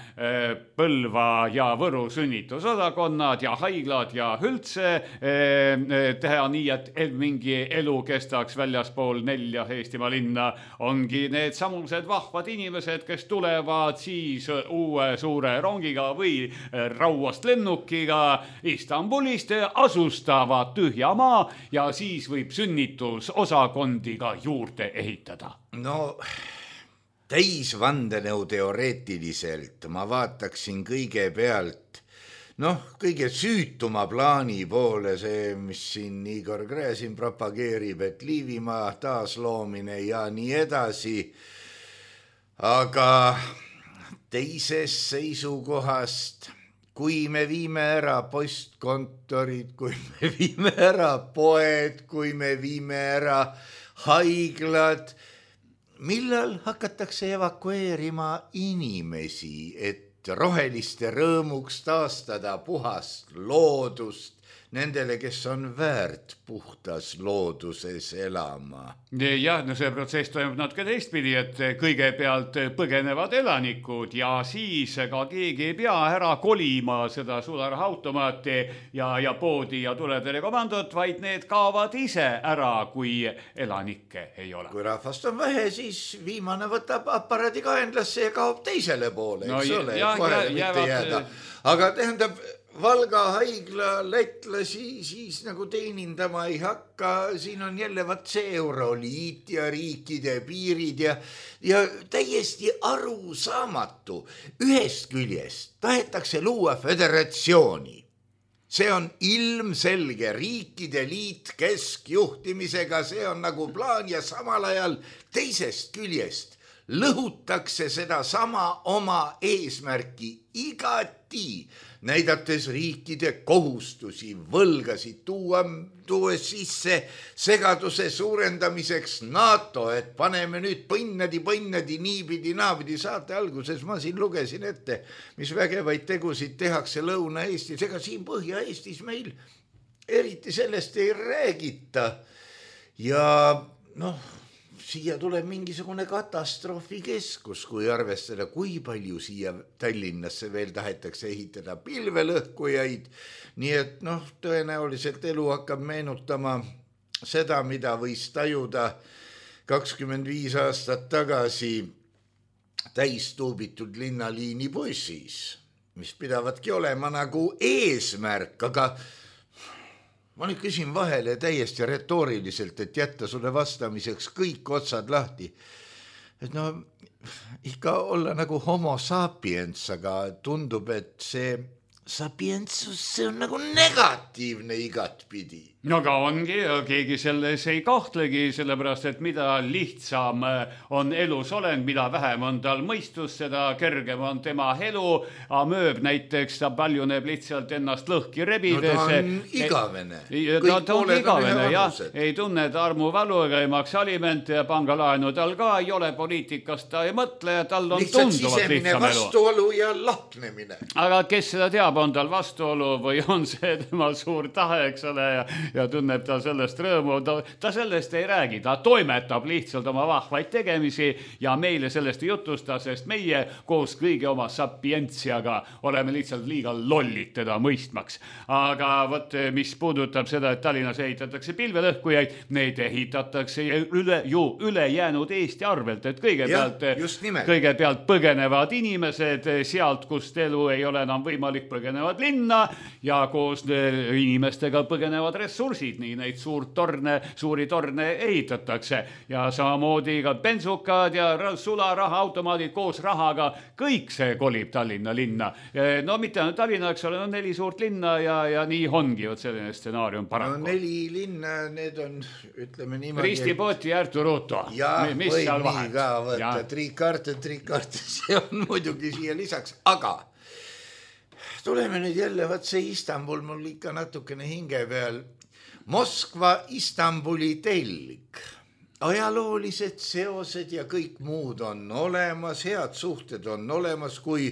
Põlva ja Võru sünnitusosakonnad ja haiglad ja üldse teha nii, et mingi elu kestaks väljaspool nelja Eestimaa linna, ongi need samused vahvad inimesed, kes tulevad siis uue suure rongiga või rauast lennukiga Istanbulist, asustavad tühja maa ja siis võib sünnitusosakondi ka juurde ehitada. No täisvandenõu teoreetiliselt ma vaataksin kõigepealt, noh, kõige süütuma plaani poole, see, mis siin Igor Gräzin propageerib, et Liivimaa taasloomine ja nii edasi. Aga teisest seisukohast, kui me viime ära postkontorid, kui me viime ära poed, kui me viime ära haiglad, millal hakatakse evakueerima inimesi, et roheliste rõõmuks taastada puhast loodust nendele, kes on väärt puhtas looduses elama? Jah, no see protsess toimub natuke teistpidi, et kõigepealt põgenevad elanikud ja siis ka keegi ei pea ära kolima seda sularahautomaati ja, ja poodi ja tuletelekomandot, vaid need kaovad ise ära, kui elanikke ei ole. Kui rahvast on vähe, siis viimane võtab aparaadi kaenlasse ja kaob teisele poole, eks no, ole, et vahele mitte jäävad... jääda. Aga tähendab, Valga haigla lätlasi siis nagu teenindama ei hakka, siin on jälle vat see euroliit ja riikide piirid ja, ja täiesti arusaamatu. Ühest küljest tahetakse luua föderatsiooni. see on ilmselge riikide liit keskjuhtimisega, see on nagu plaan ja samal ajal teisest küljest lõhutakse seda sama oma eesmärki igati, näidates riikide kohustusi, võlgasid, tuua, tuues sisse segaduse suurendamiseks NATO, et paneme nüüd põnnadi, põnnadi, niipidi, naapidi. Saate alguses ma siin lugesin ette, mis vägevaid tegusid tehakse Lõuna-Eestis, ega siin Põhja-Eestis meil eriti sellest ei räägita. Ja noh, siia tuleb mingisugune katastroofikeskus, kui arvestada, kui palju siia Tallinnasse veel tahetakse ehitada pilvelõhkujaid. Nii et noh, tõenäoliselt elu hakkab meenutama seda, mida võis tajuda kakskümmend viis aastat tagasi täistuubitud linnaliini bussis, mis pidavatki olema nagu eesmärk, aga ma nüüd küsin vahele täiesti retooriliselt, et jätta sulle vastamiseks kõik otsad lahti. Et no ikka olla nagu homo sapiens, aga tundub, et see sapientsus, see on nagu negatiivne igatpidi. No aga ongi, keegi selles ei kahtlegi, sellepärast, et mida lihtsam on elus olend, mida vähem on tal mõistus, seda kergem on tema elu. Amööb näiteks, ta paljuneb lihtsalt ennast lõhki rebides. No ta on igavene. Ta, ta on igavene, jah. Ei tunne ta armuvalu ega ei maksa alimente ja pangalaenu tal ka ei ole, poliitikast ta ei mõtle ja tal on lihtsalt tunduvalt lihtsam elu. vastuolu ja lahknemine. Aga kes seda teab, on tal vastuolu või on see tema suur tahe, eks ole, ja ja tunneb ta sellest rõõmu, ta, ta sellest ei räägi, ta toimetab lihtsalt oma vahvaid tegemisi ja meile sellest ei jutusta, sest meie koos kõige oma sapientsiaga oleme lihtsalt liiga lollid teda mõistmaks. Aga võt, mis puudutab seda, et Tallinnas ehitatakse pilvelõhkujaid, neid ehitatakse üle, ju üle jäänud Eesti arvelt, et kõigepealt, kõigepealt põgenevad inimesed sealt, kust elu ei ole enam võimalik, põgenevad linna ja koos inimestega põgenevad ressursid, nii neid suurt torne, suuri torne ehitatakse ja samamoodi ka bensukad ja sularaha automaadid koos rahaga, kõik see kolib Tallinna linna. No mitte ainult Tallinna, eks ole, no neli suurt linna ja, ja nii ongi vot selline stsenaarium paraku. No neli linna, need on, ütleme niimoodi. Ristipoti ja Artur Ruto. Ja mis või nii ka võtta, triikarte, triikarte, see on muidugi siia lisaks, aga tuleme nüüd jälle, võt see Istanbul mul ikka natukene hinge peal. Moskva Istanbuli telg. Ajaloolised seosed ja kõik muud on olemas, head suhted on olemas, kui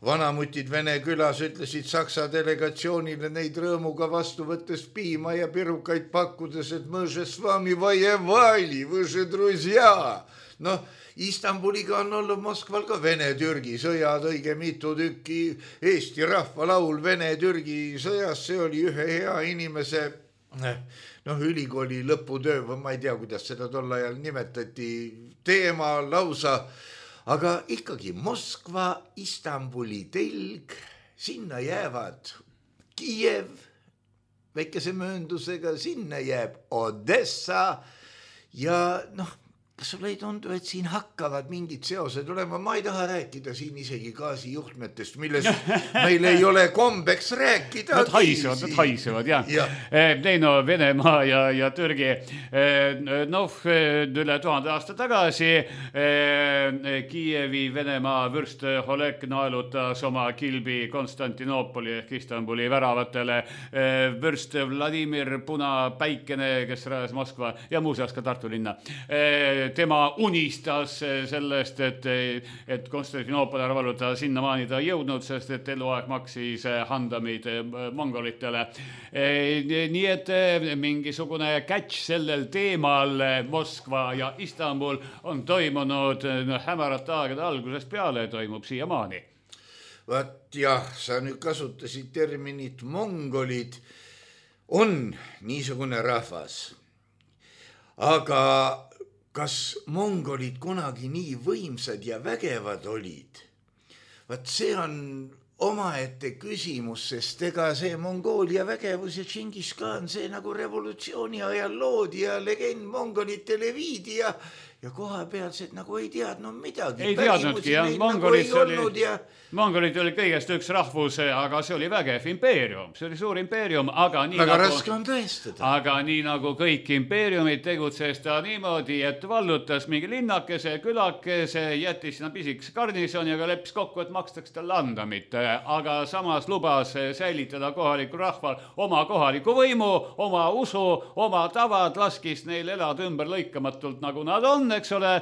vanamutid Vene külas ütlesid Saksa delegatsioonile neid rõõmuga vastu võttes piima ja pirukaid pakkudes, et mõže s vami vajevali, võže druzja. Noh, Istanbuliga on olnud Moskval ka Vene-Türgi sõjad, õige mitu tükki, Eesti rahvalaul Vene-Türgi sõjas, see oli ühe hea inimese noh, ülikooli lõputöö, või ma ei tea, kuidas seda tol ajal nimetati, teema lausa, aga ikkagi Moskva, Istanbuli telg, sinna jäävad Kiiev, väikese mööndusega, sinna jääb Odessa ja noh, kas sul ei tundu, et siin hakkavad mingid seosed olema? Ma ei taha rääkida siin isegi gaasijuhtmetest, millest meil ei ole kombeks rääkida. Nad haisevad, nad haisevad, jah. Ja. Ei no, Venemaa ja, ja Türgi, noh, üle tuhande aasta tagasi Kiievi Venemaa vürst Oleg naelutas oma kilbi Konstantinoopoli ehk Istanbuli väravatele. Vürst Vladimir Punapäikene, kes rajas Moskva ja muuseas ka Tartu linna. Tema unistas sellest, et, et Konstantinoopoli arvaluta sinnamaani ta jõudnud, sest et eluaeg maksis handamid mongolitele. Nii et mingisugune catch sellel teemal Moskva ja Istanbul on toimunud hämarate aegade algusest peale, toimub siiamaani. Vaat jah, sa nüüd kasutasid terminit mongolid, on niisugune rahvas, aga kas mongolid kunagi nii võimsad ja vägevad olid? Vaat see on omaette küsimus, sest ega see Mongoolia vägevus ja Tšingis Khan, see nagu revolutsiooni ajal loodi ja legend mongolitele viidi ja, ja koha pealsed nagu ei teadnud midagi. Ei teadnudki, jah. Mongolid nagu ei olnud ja... Mongolid oli kõigest üks rahvus, aga see oli vägev impeerium. See oli suur impeerium, aga nii väga nagu... raske on tõestada. Aga nii nagu kõik impeeriumid tegutses ta niimoodi, et vallutas mingi linnakese, külakese, jättis sinna pisikese garnisoni, aga leppis kokku, et makstaks tal landamit. Aga samas lubas säilitada kohaliku rahval oma kohaliku võimu, oma usu, oma tavad, laskis neil elada ümber lõikamatult, nagu nad on, eks ole.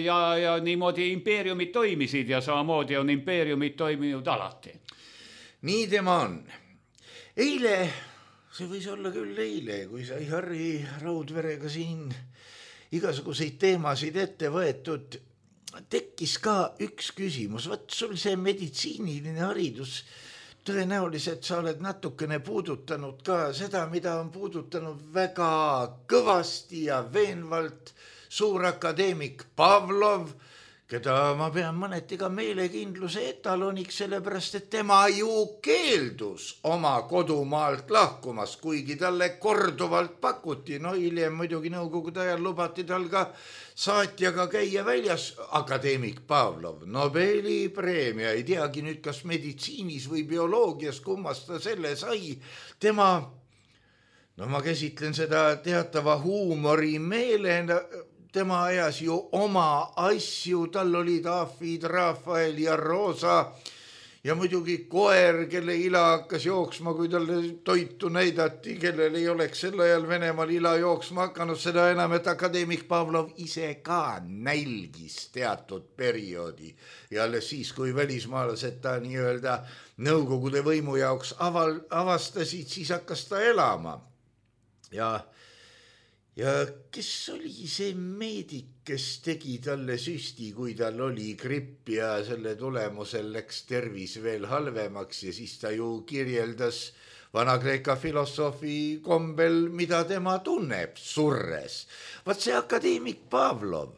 Ja, ja niimoodi impeeriumid toimisid ja samamoodi on impeeriumid toiminud alati. Nii tema on. Eile, see võis olla küll eile, kui sai Harri Raudverega siin igasuguseid teemasid ette võetud, tekkis ka üks küsimus. Võt sul see meditsiiniline haridus, tõenäoliselt sa oled natukene puudutanud ka seda, mida on puudutanud väga kõvasti ja veenvalt suur akadeemik Pavlov, keda ma pean mõneti ka meelekindluse etaloniks, sellepärast, et tema ju keeldus oma kodumaalt lahkumas, kuigi talle korduvalt pakuti. No hiljem muidugi nõukogude ajal lubati tal ka saatjaga käia väljas. Akadeemik Pavlov, Nobeli preemia, ei teagi nüüd, kas meditsiinis või bioloogias, kummast ta selle sai. Tema, no ma käsitlen seda teatava huumori meelena, tema ajas ju oma asju, tal olid Afid, Rafael ja Rosa ja muidugi koer, kelle ila hakkas jooksma, kui talle toitu näidati, kellel ei oleks sel ajal Venemaal ila jooksma hakanud, seda enam, et akadeemik Pavlov ise ka nälgis teatud perioodi ja alles siis, kui välismaalased ta nii-öelda nõukogude võimu jaoks aval, avastasid, siis hakkas ta elama. Ja Ja kes oli see meedik, kes tegi talle süsti, kui tal oli gripp ja selle tulemusel läks tervis veel halvemaks ja siis ta ju kirjeldas Vana-Kreeka filosoofi kombel, mida tema tunneb surres. Vaat see akadeemik Pavlov,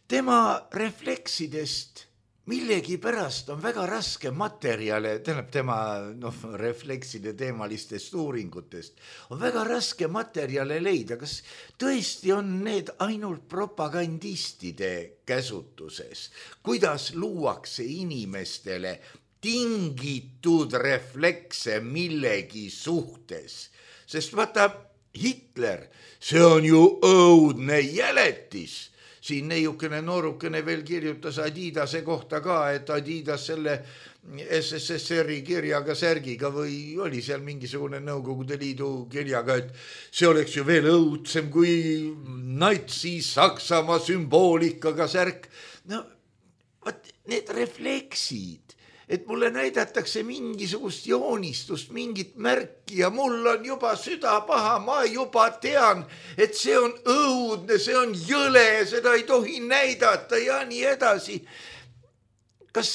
tema refleksidest millegi pärast on väga raske materjale, tähendab tema no, reflekside teemalistest uuringutest, on väga raske materjale leida. Kas tõesti on need ainult propagandistide käsutuses? Kuidas luuakse inimestele tingitud reflekse millegi suhtes? Sest vaata, Hitler, see on ju õudne jäletis. Siin neiukene noorukene veel kirjutas Adidase kohta ka, et Adidas selle S S S R-i kirjaga, särgiga või oli seal mingisugune Nõukogude Liidu kirjaga, et see oleks ju veel õudsem kui natsi Saksamaa sümboolikaga särk. No, vaat need refleksid, et mulle näidatakse mingisugust joonistust, mingit märki ja mul on juba süda paha, ma juba tean, et see on õudne, see on jõle, seda ei tohi näidata ja nii edasi. Kas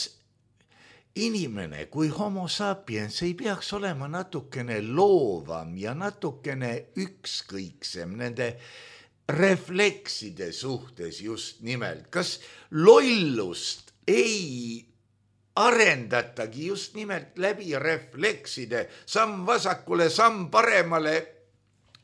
inimene kui homo sapiens ei peaks olema natukene loovam ja natukene ükskõiksem nende reflekside suhtes just nimelt? Kas lollust ei arendatagi just nimelt läbi reflekside, samm vasakule, samm paremale,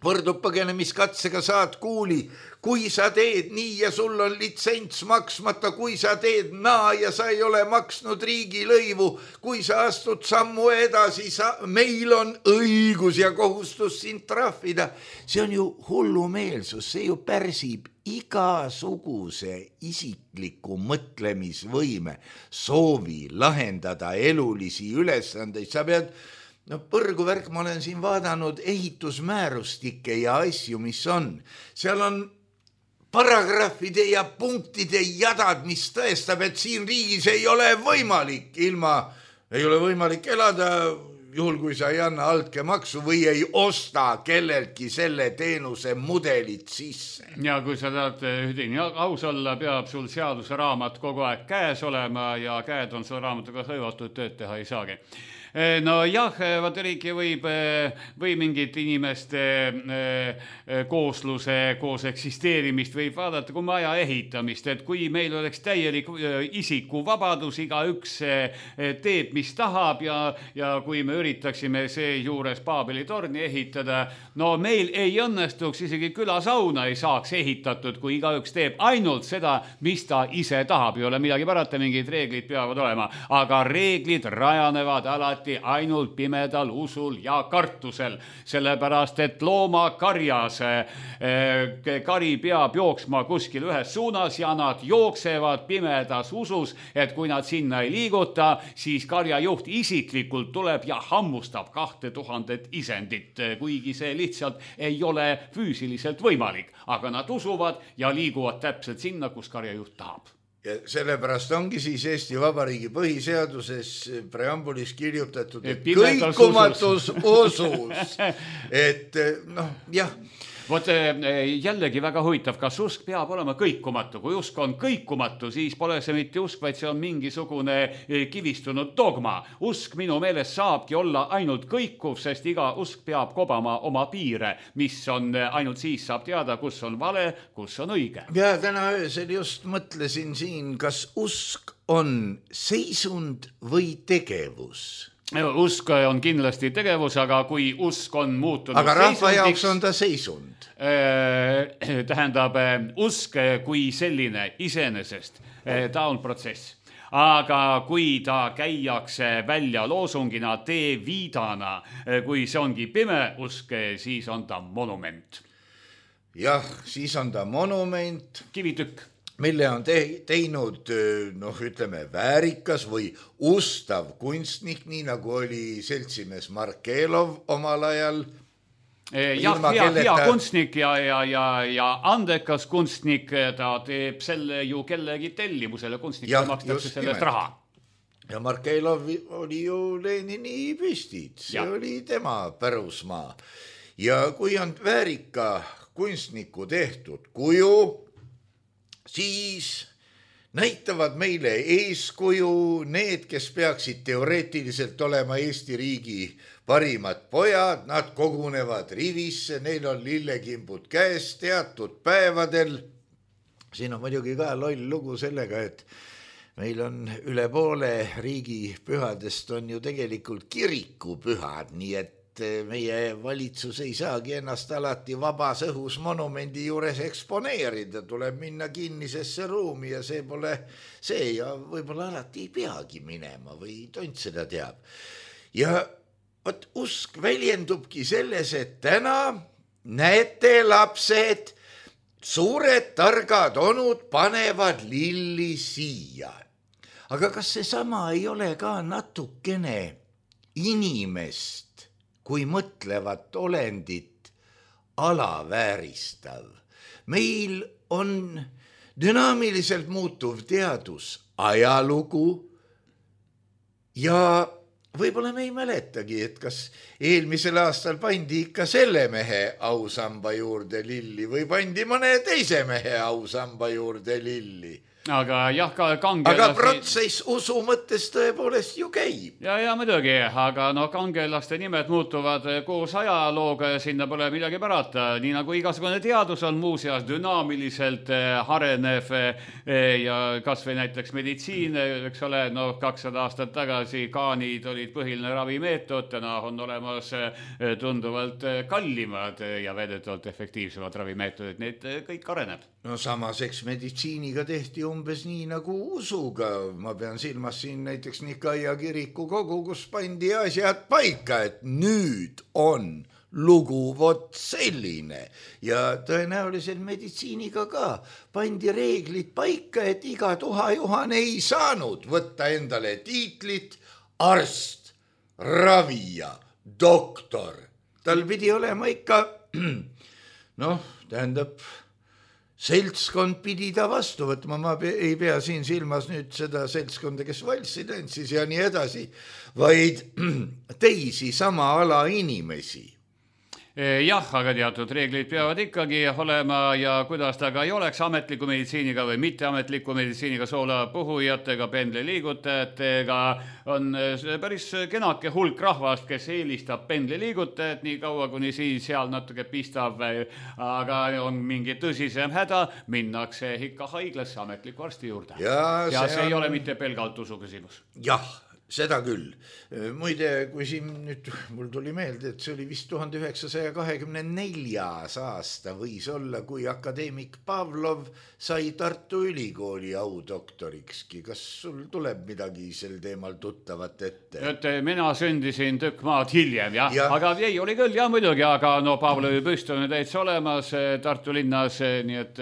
võrdub põgenemiskatsega saad kuuli, kui sa teed nii ja sul on litsents maksmata, kui sa teed naa ja sa ei ole maksnud riigilõivu, kui sa astud sammu edasi, sa, meil on õigus ja kohustus sind trahvida. See on ju hullumeelsus, see ju pärsib igasuguse isikliku mõtlemisvõime, soovi lahendada elulisi ülesandeid. Sa pead, no põrgu värk, ma olen siin vaadanud ehitusmäärustikke ja asju, mis on. Seal on paragrahvide ja punktide jadad, mis tõestab, et siin riigis ei ole võimalik ilma, ei ole võimalik elada, juhul kui sa ei anna altkäemaksu või ei osta kelleltki selle teenuse mudelit sisse. Ja kui sa tahad ühdini aus olla, peab sul seaduse raamat kogu aeg käes olema ja käed on sul raamatuga hõivatud, tööd teha ei saagi. No jah, vaata riiki võib, või mingit inimeste koosluse, koos eksisteerimist võib vaadata kui maja ehitamist, et kui meil oleks täielik isikuvabadus, iga üks teeb, mis tahab ja, ja kui me üritaksime seejuures Paabeli torni ehitada. No meil ei õnnestuks, isegi külasauna ei saaks ehitatud, kui igaüks teeb ainult seda, mis ta ise tahab. Ei ole midagi parata, mingid reeglid peavad olema, aga reeglid rajanevad alati ainult pimedal usul ja kartusel, sellepärast et loomakarjas kari peab jooksma kuskil ühes suunas ja nad jooksevad pimedas usus, et kui nad sinna ei liiguta, siis karjajuht isiklikult tuleb ja hammustab kahte tuhandet isendit, kuigi see lihtsalt ei ole füüsiliselt võimalik, aga nad usuvad ja liiguvad täpselt sinna, kus karjajuht tahab. Ja sellepärast ongi siis Eesti Vabariigi põhiseaduses preambulis kirjutatud, et kõikumatus usus, et noh, jah. Vot jällegi väga huvitav, kas usk peab olema kõikumatu. Kui usk on kõikumatu, siis pole see mitte usk, vaid see on mingisugune kivistunud dogma. Usk minu meelest saabki olla ainult kõikuv, sest iga usk peab kobama oma piire, mis on ainult siis saab teada, kus on vale, kus on õige. Ja täna öösel just mõtlesin siin, kas usk on seisund või tegevus. Usk on kindlasti tegevus, aga kui usk on muutunud aga rahva jaoks on ta seisund. Äh, tähendab, usk kui selline iseenesest, ta on protsess. Aga kui ta käiakse välja loosungina, tee viidana, kui see ongi pime usk, siis on ta monument. Jah, siis on ta monument. Kivitükk. Mille on te- teinud, noh, ütleme, väärikas või ustav kunstnik, nii nagu oli seltsimees Markelov omal ajal. Jah, hea, hea kunstnik ja, ja, ja, ja andekas kunstnik, ta teeb selle ju kellegi tellimusele, kunstnikule makstakse sellest raha. Ja Markelov oli ju Lenini püstid, see ja. Oli tema pärusmaa. Ja kui on väärika kunstniku tehtud kuju, siis näitavad meile eeskuju need, kes peaksid teoreetiliselt olema Eesti riigi parimad pojad, nad kogunevad rivisse, neil on lillekimbud käes teatud päevadel. Siin on muidugi ka loll lugu sellega, et meil on üle poole riigi pühadest on ju tegelikult kirikupühad, nii et meie valitsus ei saagi ennast alati vabas õhus monumendi juures eksponeerida, tuleb minna kinnisesse ruumi ja see pole see ja võib-olla alati ei peagi minema või tont seda teab. Ja võt, usk väljendubki selles, et täna näete lapsed, suured targad onud panevad lilli siia. Aga kas see sama ei ole ka natukene inimest kui mõtlevat olendit alavääristav? Meil on dünaamiliselt muutuv teadus, ajalugu ja võib-olla me ei mäletagi, et kas eelmisel aastal pandi ikka selle mehe ausamba juurde lilli või pandi mõne teise mehe ausamba juurde lilli. Aga jah, ka kangelasi... Aga protsess usu mõttes tõepoolest ju käib. Ja, ja muidugi, aga no kangelaste nimed muutuvad koos ajalooga ja sinna pole midagi parata. Nii nagu igasugune teadus on muuseas dünaamiliselt harenev ja kas või näiteks meditsiin, eks ole, no kakssada aastat tagasi kaanid olid põhiline ravimeetod, täna on olemas tunduvalt kallimad ja väidetavalt efektiivsemad ravimeetodid, need kõik areneb. No samas, eks meditsiiniga tehti umbes nii nagu usuga. Ma pean silmas siin näiteks Nikaia kiriku kogu, kus pandi asjad paika, et nüüd on lugu vot selline. Ja tõenäoliselt meditsiiniga ka pandi reeglid paika, et iga tuhajuhan ei saanud võtta endale tiitlit arst, ravija, doktor. Tal pidi olema ikka, noh, tähendab... seltskond pidi ta vastu võtma, ma ei pea siin silmas nüüd seda seltskonda, kes valssi tantsis ja nii edasi, vaid teisi sama ala inimesi. Jah, aga teatud reeglid peavad ikkagi olema ja kuidas ta ka ei oleks ametliku meditsiiniga või mitteametliku meditsiiniga soolapuhujatega, pendliliigutajatega, on päris kenake hulk rahvast, kes eelistab pendliliigutajat nii kaua, kuni siis seal natuke pistab, aga on mingi tõsisem häda, minnakse ikka haiglasse ametliku arsti juurde. Ja, ja see, see on... ei ole mitte pelgalt usu küsimus. Jah. Seda küll. Muide, kui siin nüüd mul tuli meelde, et see oli vist tuhande üheksasaja kahekümne neljas aasta võis olla, kui akadeemik Pavlov sai Tartu Ülikooli audoktorikski. Kas sul tuleb midagi sel teemal tuttavat ette? Et mina sündisin tükk maad hiljem, jah. Ja. Aga ei oli küll, jah muidugi, aga no Pavlovi püst on täitsa olemas Tartu linnas, nii et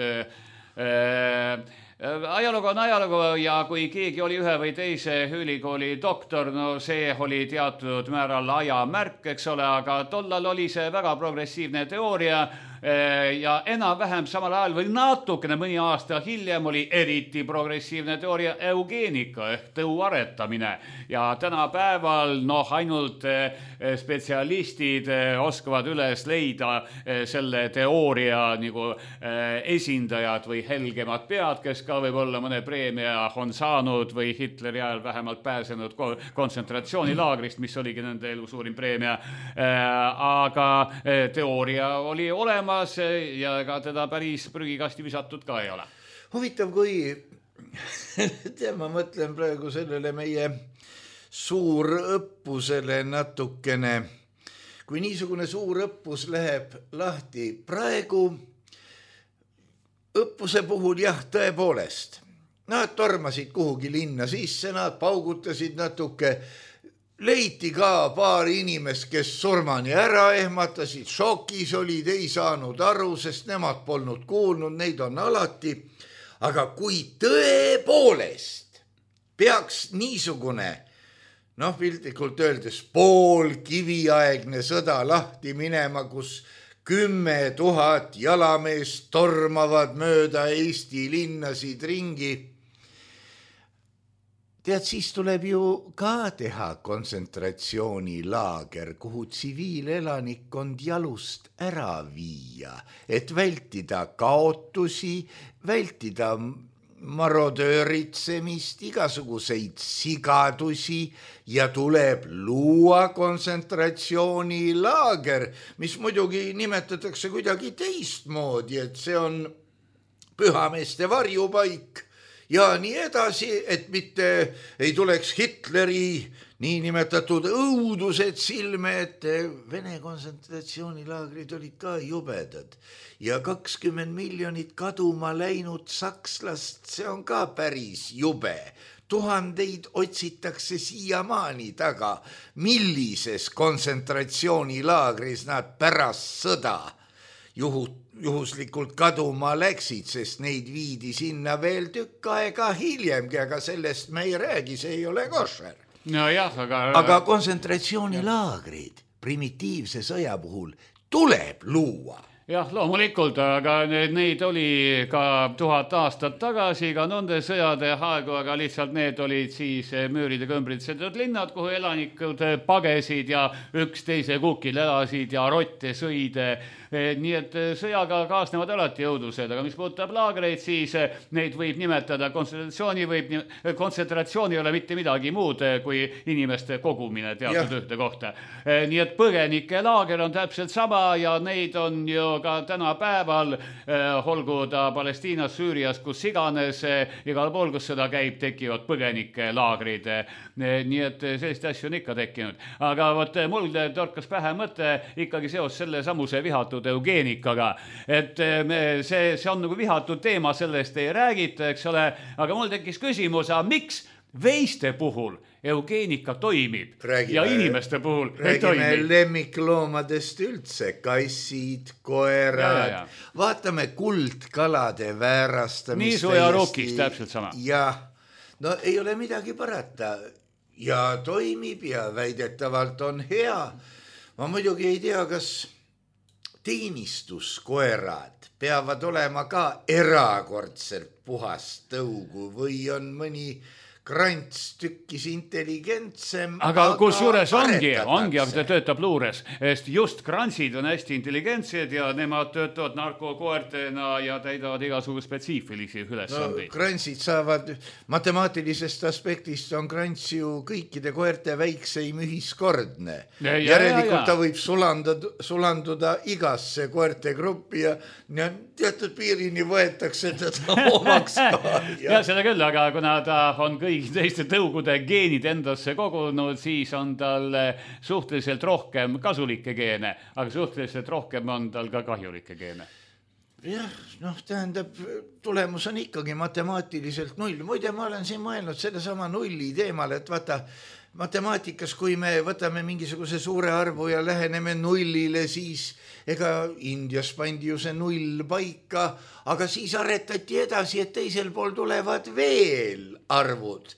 äh, ajalugu on ajalugu ja kui keegi oli ühe või teise ülikooli doktor, no see oli teatud määral ajamärk, eks ole, aga tollal oli see väga progressiivne teooria ja enam-vähem samal ajal või natukene mõni aasta hiljem oli eriti progressiivne teooria eugeenika ehk tõuaretamine ja tänapäeval noh, ainult spetsialistid oskavad üles leida selle teooria nagu esindajad või helgemad pead, kes ka võib-olla mõne preemia on saanud või Hitleri ajal vähemalt pääsenud kontsentratsioonilaagrist, mis oligi nende elu suurim preemia, aga teooria oli olema ja ega teda päris prügikasti visatud ka ei ole. Huvitav, kui tea, ma mõtlen praegu sellele meie suurõppusele natukene, kui niisugune suur õppus läheb lahti praegu õppuse puhul, jah, tõepoolest nad tormasid kuhugi linna sisse, nad paugutasid natuke, leiti ka paar inimest, kes surmani ära ehmatasid, šokis olid, ei saanud aru, sest nemad polnud kuulnud, neid on alati. Aga kui tõepoolest peaks niisugune, noh piltlikult öeldes, pool kiviaegne sõda lahti minema, kus kümme tuhat jalameest tormavad mööda Eesti linnasid ringi, tead, siis tuleb ju ka teha kontsentratsioonilaager, kuhu tsiviilelanikkond jalust ära viia, et vältida kaotusi, vältida marodööritsemist, igasuguseid sigadusi ja tuleb luua kontsentratsioonilaager, mis muidugi nimetatakse kuidagi teistmoodi, et see on pühameeste varjupaik ja nii edasi, et mitte ei tuleks Hitleri niinimetatud õudused silme, et Vene kontsentratsioonilaagrid olid ka jubedad ja kakskümmend miljonit kaduma läinud sakslast, see on ka päris jube. Tuhandeid otsitakse siiamaani taga, millises kontsentratsioonilaagris nad pärast sõda juhut juhuslikult kaduma läksid, sest neid viidi sinna veel tükk aega hiljemgi, aga sellest me ei räägi, see ei ole košer. No jah, aga... aga kontsentratsioonilaagrid primitiivse sõja puhul tuleb luua. Jah, loomulikult, aga neid oli ka tuhat aastat tagasi, ka nende sõjade aegu, aga lihtsalt need olid siis müüride kõmbritsetud linnad, kuhu elanikud pagesid ja üksteise kukil elasid ja rotte sõid. Nii et sõjaga kaasnevad alati jõudused, aga mis puudutab laagreid, siis neid võib nimetada kontsentratsiooni, võib, kontsentratsioon ei ole mitte midagi muud kui inimeste kogumine teatud ühte kohta. Nii et põgenike laager on täpselt sama ja neid on ju ka tänapäeval, olgu ta Palestiinas, Süürias, kus iganes, igal pool, kus seda käib, tekivad põgenike laagrid. Nii et sellist asju on ikka tekkinud. Aga võt, mul torkas pähe mõte ikkagi seos selle samuse vihatud eugeenikaga, et me, see, see on nagu vihatud teema, sellest ei räägita, eks ole, aga mul tekkis küsimus, miks veiste puhul eugeenika toimib räägime, ja inimeste puhul ei toimi? Räägime lemmikloomadest üldse, kassid, koerad, ja, ja, ja. Vaatame kuldkalade väärastamist. Niisu ja rokis täpselt sama. Ja, no ei ole midagi parata ja toimib ja väidetavalt on hea. Ma muidugi ei tea, kas teenistuskoerad peavad olema ka erakordselt puhast tõugu või on mõni krants tükkis intelligentsem. Aga, aga kus juures ongi, ongi, aga ta töötab luures, sest just krantsid on hästi intelligentsed ja nemad töötavad narkokoertena ja täidavad igasugu spetsiifilisi ülesandeid. No, krantsid saavad, matemaatilisest aspektist on krants ju kõikide koerte väikseim ühiskordne. Ja, ja, järelikult ja, ja. Ta võib sulanduda, sulanduda igasse koerte gruppi ja, ja teatud piirini võetakse teda omaks ka. Ja, ja seda küll, aga kuna ta on kõik teiste tõugude geenid endasse kogunud, siis on tal suhteliselt rohkem kasulikke geene, aga suhteliselt rohkem on tal ka kahjulikke geene. Jah, noh, tähendab, tulemus on ikkagi matemaatiliselt null. Muide, ma olen siin mõelnud selle sama nulli teemal, et vaata, matemaatikas, kui me võtame mingisuguse suure arvu ja läheneme nullile, siis ega Indias pandi ju see null paika, aga siis aretati edasi, et teisel pool tulevad veel arvud.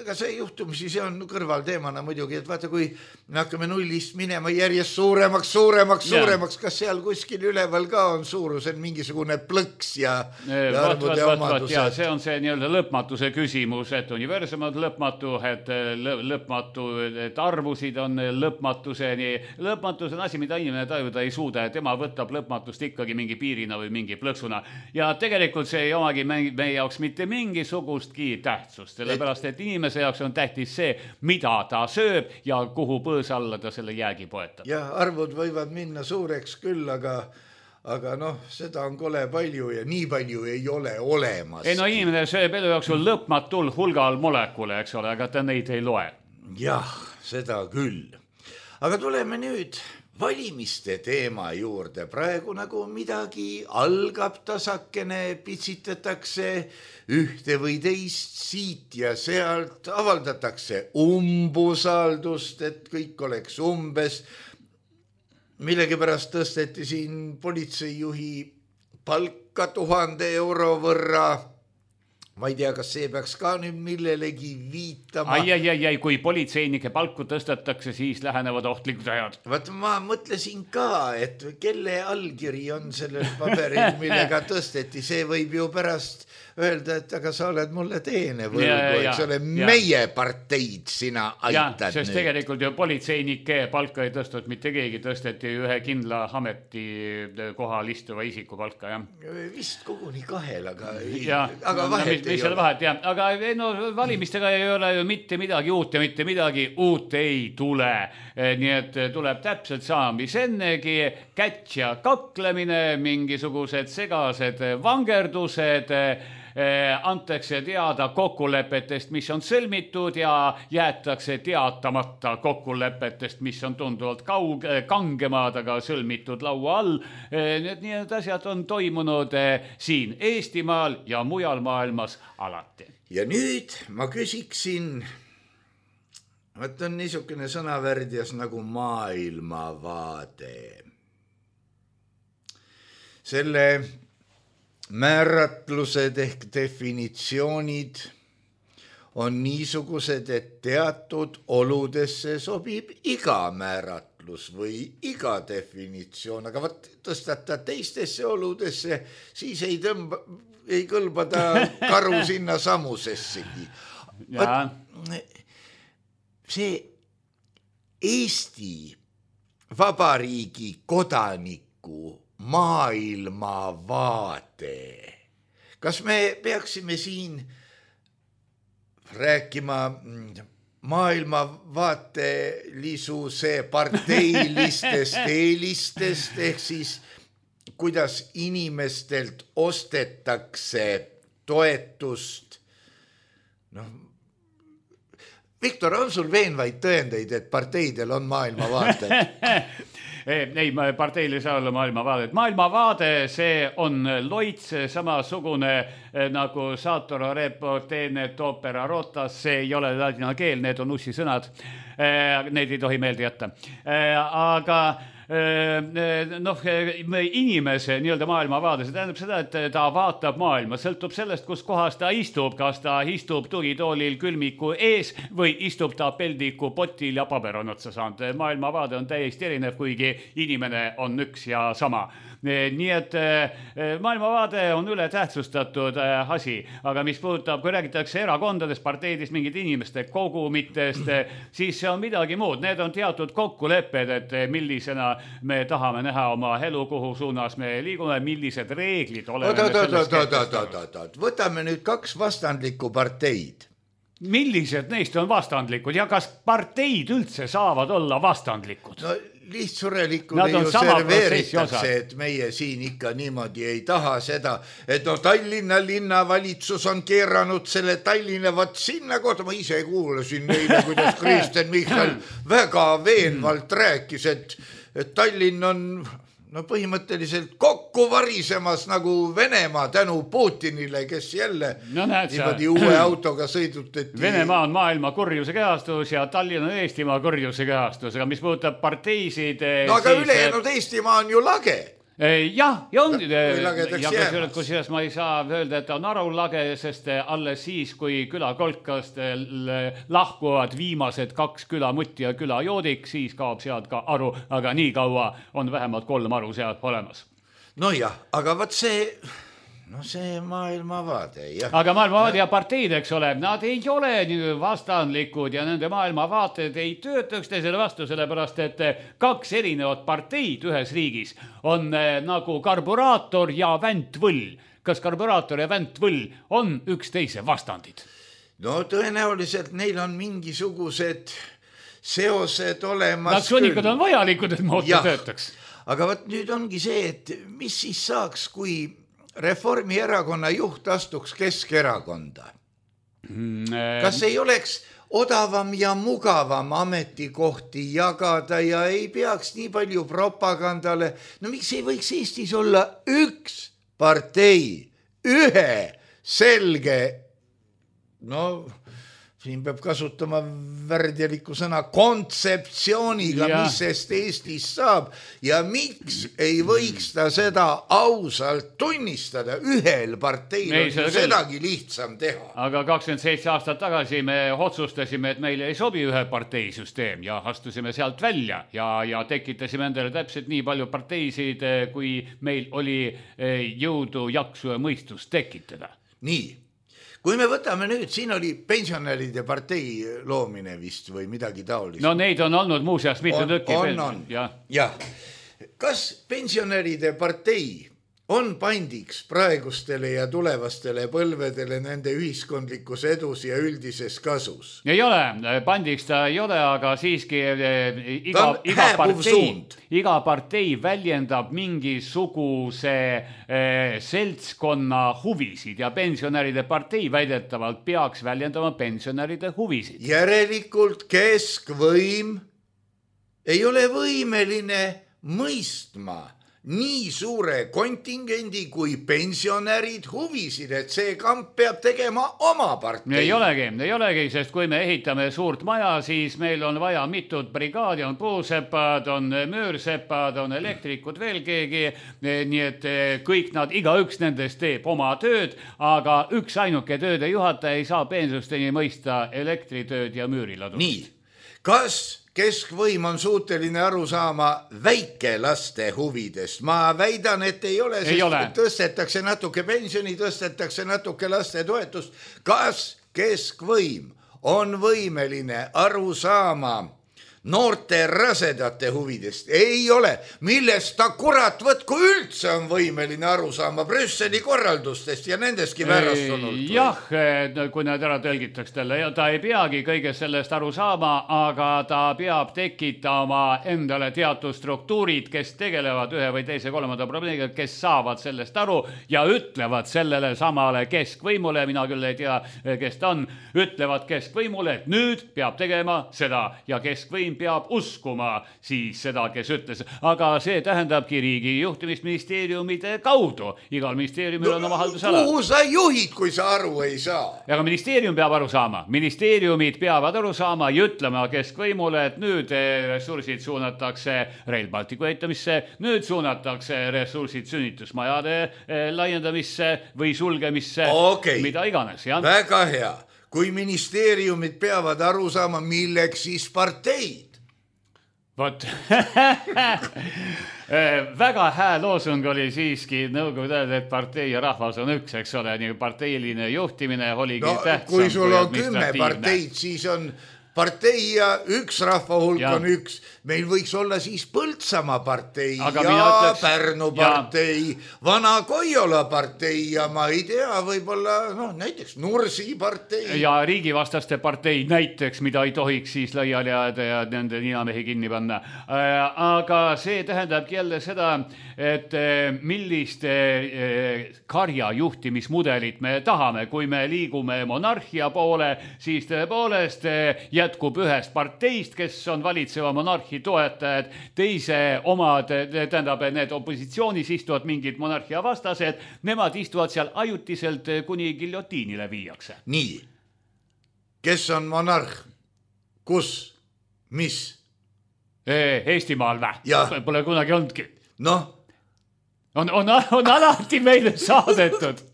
Ega see juhtumisi, see on kõrvalteemana muidugi, et vaata, kui me hakkame nullist minema järjest suuremaks, suuremaks, suuremaks, kas seal kuskil üleval ka on suurusel mingisugune plõks ja, ja arvude omadused? Ja, see on see nii-öelda lõpmatuse küsimus, et universum on lõpmatu, et lõpmatu, et arvusid on lõpmatuseni. Lõpmatus on asi, mida inimene tajuda ei suuda, et tema võtab lõpmatust ikkagi mingi piirina või mingi plõksuna. Ja tegelikult see ei omagi meie jaoks mitte mingisugustki tähtsust, sellepärast, et inimese jaoks on tähtis see, mida ta sööb ja kuhu põõs alla ta selle jäägi poetab. Ja arvud võivad minna suureks küll, aga, aga noh, seda on kole palju ja nii palju ei ole olemas. Ei no inimene sööb elu jooksul lõpmatul hulgal molekule, eks ole, aga ta neid ei loe. Jah, seda küll. Aga tuleme nüüd valimiste teema juurde. Praegu nagu midagi algab tasakene, pitsitatakse ühte või teist siit ja sealt, avaldatakse umbusaldust, et kõik oleks umbes. Millegipärast tõsteti siin politseijuhi palka tuhande euro võrra. Ma ei tea, kas see peaks ka nüüd millelegi viitama. Ai, ai, ai, ai, kui politseinike palku tõstetakse, siis lähenevad ohtlikud ajad. Vaat ma mõtlesin ka, et kelle allkiri on sellel paberil, millega tõsteti. See võib ju pärast öelda, et aga sa oled mulle teene võlgu, eks ole, meie parteid sina aitad ja, sest nüüd. Tegelikult ju politseinike palka ei tõstud mitte keegi, tõsteti ühe kindla ameti kohal istuva isiku palka. Ja. Vist koguni kahel, aga, ja, aga no, vahet mis, mis ei ole. Vahet, ja. Aga no, valimistega ei ole ju mitte midagi uut ja mitte midagi uut ei tule. Nii et tuleb täpselt sama, mis ennegi, käts ja kaklemine, mingisugused segased vangerdused, antakse teada kokkulepetest, mis on sõlmitud ja jäetakse teatamata kokkulepetest, mis on tunduvalt kaug, kangemad, aga sõlmitud laua all. Need, need asjad on toimunud siin Eestimaal ja mujal maailmas alati. Ja nüüd ma küsiksin, et on niisugune sõnavärdjas nagu maailmavaade. Selle määratlused ehk definitsioonid on niisugused, et teatud oludesse sobib iga määratlus või iga definitsioon, aga võt tõstata teistesse oludesse, siis ei tõmba, ei kõlba ta karu sinna samusessegi. See Eesti Vabariigi kodaniku maailmavaade. Kas me peaksime siin rääkima maailmavaatelisuse parteilistest eelistest, ehk siis kuidas inimestelt ostetakse toetust? Noh, Viktor, on sul veenvaid tõendeid, et parteidel on maailmavaated? Ei, parteil ei saa olla maailmavaadet. Maailmavaade, see on loits, samasugune nagu Satoro repotenet opera rotas, see ei ole ladina keel, need on ussi sõnad. Need ei tohi meelde jätta. Aga noh, inimese nii-öelda maailmavaade, see tähendab seda, et ta vaatab maailma, sõltub sellest, kus kohas ta istub, kas ta istub tugitoolil külmiku ees või istub ta peldiku potil ja paber on otsa saanud. Maailmavaade on täiesti erinev, kuigi inimene on üks ja sama. Nii et maailmavaade on üle tähtsustatud asi, aga mis puudutab, kui räägitakse erakondadest, parteidest, mingid inimeste kogumitest, siis see on midagi muud. Need on teatud kokkulepped, et millisena me tahame näha oma elu, kuhu suunas me liigume, millised reeglid oleme sellest kehtestanud. Võtame nüüd kaks vastandlikku parteid. Millised neist on vastandlikud ja kas parteid üldse saavad olla vastandlikud? No lihtsurelikule ju serveeritakse, et meie siin ikka niimoodi ei taha seda, et no Tallinna linnavalitsus on keeranud selle Tallinna vat sinna kohta, ma ise kuulasin neile, kuidas Kristen Michal väga veenvalt rääkis, et, et Tallinn on no põhimõtteliselt kokku varisemas nagu Venemaa tänu Putinile, kes jälle no, niimoodi uue autoga sõidutati. Venemaa on maailma kurjuse kehastus ja Tallinn on Eestimaa kurjuse kehastus, aga mis puudutab parteisid... No aga siis... ülejäänud Eestimaa on ju lage. Jah, ja on, ja kusjuures ma ei saa öelda, et on arulage, sest alles siis, kui külakolkast lahkuvad viimased kaks külamutti ja külajoodik, siis kaob sealt ka aru, aga nii kaua on vähemalt kolm aru sealt olemas. No jah, aga võt see... No see maailmavaade, jah. Aga maailmavaade ja parteid, eks ole, nad ei ole nii vastandlikud ja nende maailmavaated ei töötaks teisele vastu, sellepärast, et kaks erinevat parteid ühes riigis on nagu karburaator ja väntvõll. Kas karburaator ja väntvõll on üksteise vastandid? No tõenäoliselt neil on mingisugused seosed olemas. Nad sunikad on vajalikud, et mootor töötaks. Aga võt nüüd ongi see, et mis siis saaks, kui Reformierakonna juht astuks Keskerakonda. Kas ei oleks odavam ja mugavam ametikohti jagada ja ei peaks nii palju propagandale? No miks ei võiks Eestis olla üks partei, ühe selge, no siin peab kasutama värdjaliku sõna kontseptsiooniga, ja. Mis sest Eestis saab ja miks ei võiks ta seda ausalt tunnistada ühel parteil on seda sedagi lihtsam teha. Aga kakskümmend seitse aastat tagasi me otsustasime, et meile ei sobi ühe parteisüsteem ja astusime sealt välja ja, ja tekitasime endale täpselt nii palju parteisid, kui meil oli jõudu, jaksu ja mõistust tekitada. Nii. Kui me võtame nüüd, siin oli pensionäride partei loomine vist või midagi taolist. No neid on olnud muuseas mitu tükki. On, on. Ja. Ja. Kas pensionäride partei on pandiks praegustele ja tulevastele põlvedele nende ühiskondlikus edus ja üldises kasus? Ei ole, pandiks ta ei ole, aga siiski iga, iga, partei, iga partei väljendab mingisuguse eh, seltskonna huvisid ja pensionäride partei väidetavalt peaks väljendama pensionäride huvisid. Järelikult keskvõim ei ole võimeline mõistma nii suure kontingendi kui pensionärid huvisid, et see kamp peab tegema oma partei. Ei olegi, ei olegi, sest kui me ehitame suurt maja, siis meil on vaja mitut brigaadi, on puuseppad, on möörsepad, on elektrikud, veel keegi, nii et kõik nad, igaüks nendest teeb oma tööd, aga üks ainuke tööde juhataja ei saa peensusteni mõista elektritööd ja müüriladu. Nii, kas keskvõim on suuteline aru saama väikelaste huvidest? Ma väidan, et ei ole, sest ei ole. Tõstetakse natuke pensioni, tõstetakse natuke laste toetust. Kas keskvõim on võimeline aru saama noorte rasedate huvidest? Ei ole. Millest ta kurat võtku üldse on võimeline aru saama Brüsseli korraldustest ja nendestki värastunult? Jah, kui need ära tõlgitaks talle, ta ei peagi kõige sellest aru saama, aga ta peab tekitama endale teatud struktuurid, kes tegelevad ühe või teise kolmanda probleemiga, kes saavad sellest aru ja ütlevad sellele samale keskvõimule, mina küll ei tea, kes ta on, ütlevad keskvõimule, et nüüd peab tegema seda ja keskvõim peab uskuma siis seda, kes ütles. Aga see tähendabki riigi juhtimisministeeriumide kaudu. Igal ministeeriumil on oma haldusala. Kuhu sa juhid, kui sa aru ei saa? Aga ministeerium peab aru saama. Ministeeriumid peavad aru saama ja ütlema keskvõimule, et nüüd ressursid suunatakse Rail Balticu eitamisse, nüüd suunatakse ressursid sünnitusmajade laiendamisse või sulgemisse, okay. Mida iganes. Ja? Väga hea. Kui ministeeriumid peavad aru saama, milleks siis parteid? Vot, väga hää loosung oli siiski nõukogude ajal, et partei ja rahvas on üks, eks ole, nii parteiline juhtimine oligi no, tähtsam. Kui sul on kümme parteid, siis on partei ja üks rahvahulk ja. on üks. Meil võiks olla siis Põltsamaa partei aga ja ütleks, Pärnu partei, Vana Koiola partei ja ma ei tea, võib-olla no, näiteks Nursi partei. Ja riigivastaste partei näiteks, mida ei tohiks siis laiali jääda ja nende ninamehi kinni panna. Aga see tähendabki jälle seda, et millist karja juhtimismudelit me tahame. Kui me liigume monarhia poole, siis tõepoolest jätkub ühest parteist, kes on valitseva monarhi toetajad, teise omad, tähendab, need opositsioonis istuvad mingid monarhia vastased, nemad istuvad seal ajutiselt, kuni giljotiinile viiakse. Nii, kes on monarh? Kus? Mis? Eestimaal vä? Pole kunagi olnudki. Noh? On, on, on alati meile saadetud.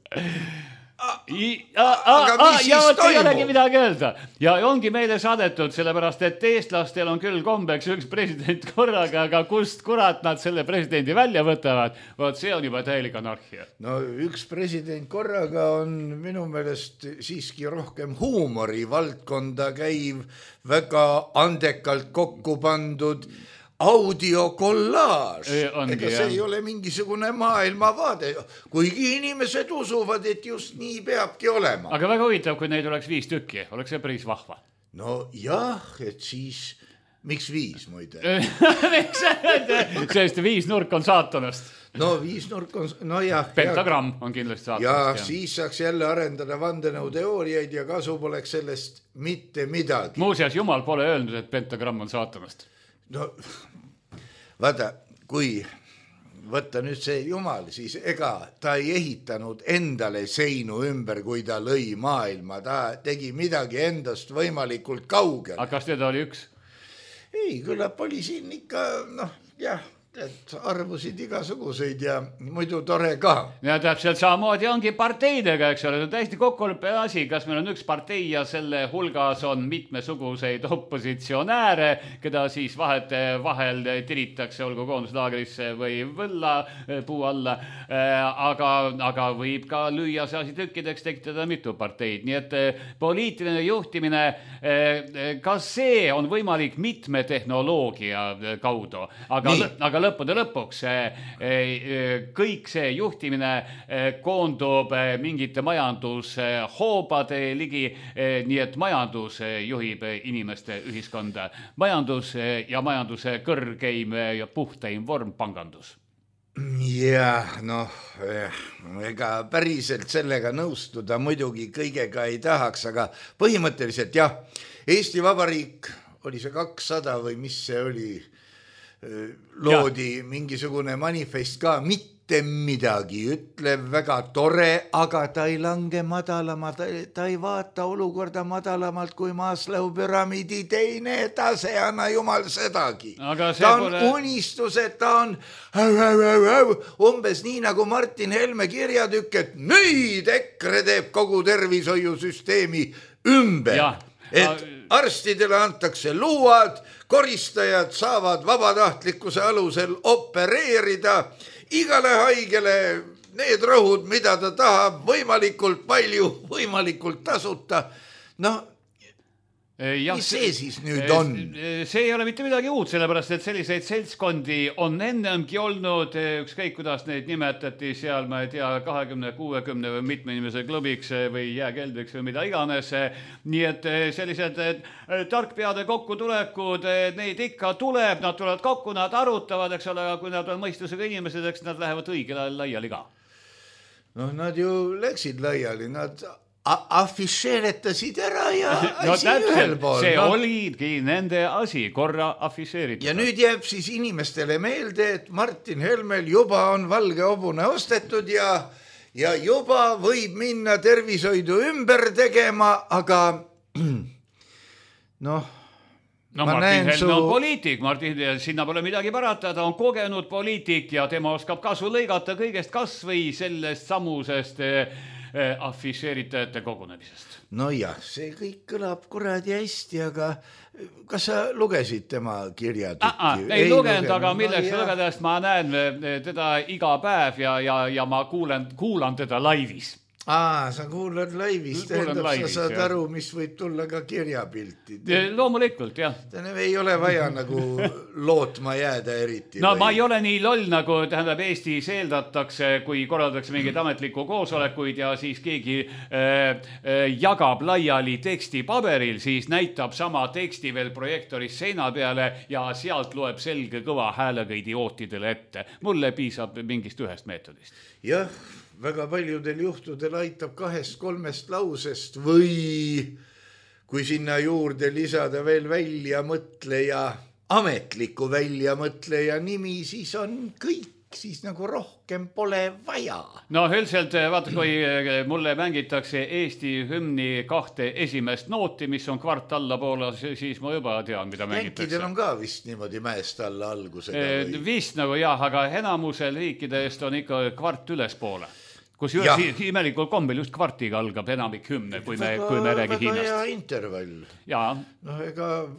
I, a, a, a, ja vot ei olegi midagi öelda ja ongi meile saadetud sellepärast, et eestlastel on küll kombeks üks president korraga, aga kust kurat nad selle presidendi välja võtavad, vot see on juba täielik anarhia. No üks president korraga on minu meelest siiski rohkem huumori valdkonda käiv, väga andekalt kokku pandud audiokollaaž. Ega see ei ole mingisugune maailmavaade, kuigi inimesed usuvad, et just nii peabki olema. Aga väga huvitav, kui neid oleks viis tükki, oleks see päris vahva. No jah, et siis, miks viis muide? Sest viis nurk on saatanast. No viis nurk on, no jah. Pentagramm on kindlasti saatanast. Ja, ja siis saaks jälle arendada vandenõuteooriaid ja kasu poleks sellest mitte midagi. Muuseas, Jumal pole öelnud, et pentagramm on saatanast. No vaata, kui võtta nüüd see Jumal, siis ega ta ei ehitanud endale seinu ümber, kui ta lõi maailma. Ta tegi midagi endast võimalikult kaugel. Aga kas teda oli üks? Ei, küllap oli siin ikka, noh, jah, et arvusid igasuguseid ja muidu tore ka. Ja täpselt samamoodi ongi parteidega, eks ole, see on täiesti kokkuleppe asi, kas meil on üks partei ja selle hulgas on mitmesuguseid opositsionääre, keda siis vahet vahel tiritakse olgu koonduslaagrisse või võlla puu alla, aga, aga võib ka lüüa see asi tükkideks, tekitada mitu parteid. Nii et poliitiline juhtimine, kas see on võimalik mitme tehnoloogia kaudu, aga, aga lõppude lõpuks kõik see juhtimine koondub mingite majandushoobade ligi, nii et majandus juhib inimeste ühiskonda. Majandus ja majanduse kõrgeim ja puhtaim vorm pangandus. Jah, noh, ega päriselt sellega nõustuda muidugi kõigega ei tahaks, aga põhimõtteliselt jah, Eesti Vabariik oli see kakssada või mis see oli, loodi ja. Mingisugune manifest ka, mitte midagi ütlev, väga tore, aga ta ei lange madalama, ta, ta ei vaata olukorda madalamalt kui Maslow püramiidi teine tase, anna jumal sedagi. Ta on pole... unistused, ta on umbes nii nagu Martin Helme kirjatükk, et nüüd EKRE teeb kogu tervishoiusüsteemi ümber, ja. Et arstidele antakse luuad, koristajad saavad vabatahtlikkuse alusel opereerida igale haigele need rõhud, mida ta tahab, võimalikult palju, võimalikult tasuta. No, ja, mis see siis nüüd on? See ei ole mitte midagi uut, sellepärast, et selliseid seltskondi on ennemgi olnud, ükskõik kuidas neid nimetati seal, ma ei tea, kahekümne, kuuekümne või mitme inimese klubiks või jääkeldriks või mida iganes. Nii et sellised tarkpeade kokkutulekud, neid ikka tuleb, nad tulevad kokku, nad arutavad, eks ole, aga kui nad on mõistusega inimesed, eks nad lähevad õigel ajal laiali ka. Noh, nad ju läksid laiali, nad... afišeeretasid ära ja no, asi täpselt, ühel pool. See no. Oligi nende asi, korra afišeeritud. Ja nüüd jääb siis inimestele meelde, et Martin Helmel juba on valge hobune ostetud ja, ja juba võib minna tervishoidu ümber tegema, aga noh, No ma Martin Helme su... on poliitik, Martin, sinna pole midagi parata, ta on kogenud poliitik ja tema oskab kasu lõigata kõigest kas või sellest samusest afišeeritajate kogunemisest. No jah, see kõik kõlab kuradi hästi, aga kas sa lugesid tema kirjatükki? Ah, ah, ei, ei lugenud, aga milleks no, lugedes ma näen teda iga päev ja, ja, ja ma kuulen, kuulan teda laivis. Aa, sa kuulad laivis, tähendab, sa saad jah. aru, mis võib tulla ka kirjapilti. Loomulikult, jah. Tähendab, ei ole vaja nagu lootma jääda eriti. No või... ma ei ole nii loll, nagu tähendab Eestis eeldatakse, kui korraldatakse mingeid ametlikku koosolekuid ja siis keegi äh, äh, jagab laiali teksti paberil, siis näitab sama teksti veel projektoris seina peale ja sealt loeb selge kõva häälega idiootidele ette. Mulle piisab mingist ühest meetodist. Jah. Väga paljudel juhtudel aitab kahest kolmest lausest või kui sinna juurde lisada veel väljamõtleja, ametliku väljamõtleja nimi, siis on kõik, siis nagu rohkem pole vaja. No üldiselt, vaata, kui mulle mängitakse Eesti hümni kahte esimest nooti, mis on kvart alla poole, siis ma juba tean, mida mängitakse. Jänkidel on ka vist niimoodi mäest alla algusega või? Vist nagu jah, aga enamusel riikidest on ikka kvart üles poole. Kus juures imelikul kombel just kvartiga algab enamik hümne, kui me, väga, kui me räägi Hiinast. Väga hea intervall. Jaa. No ega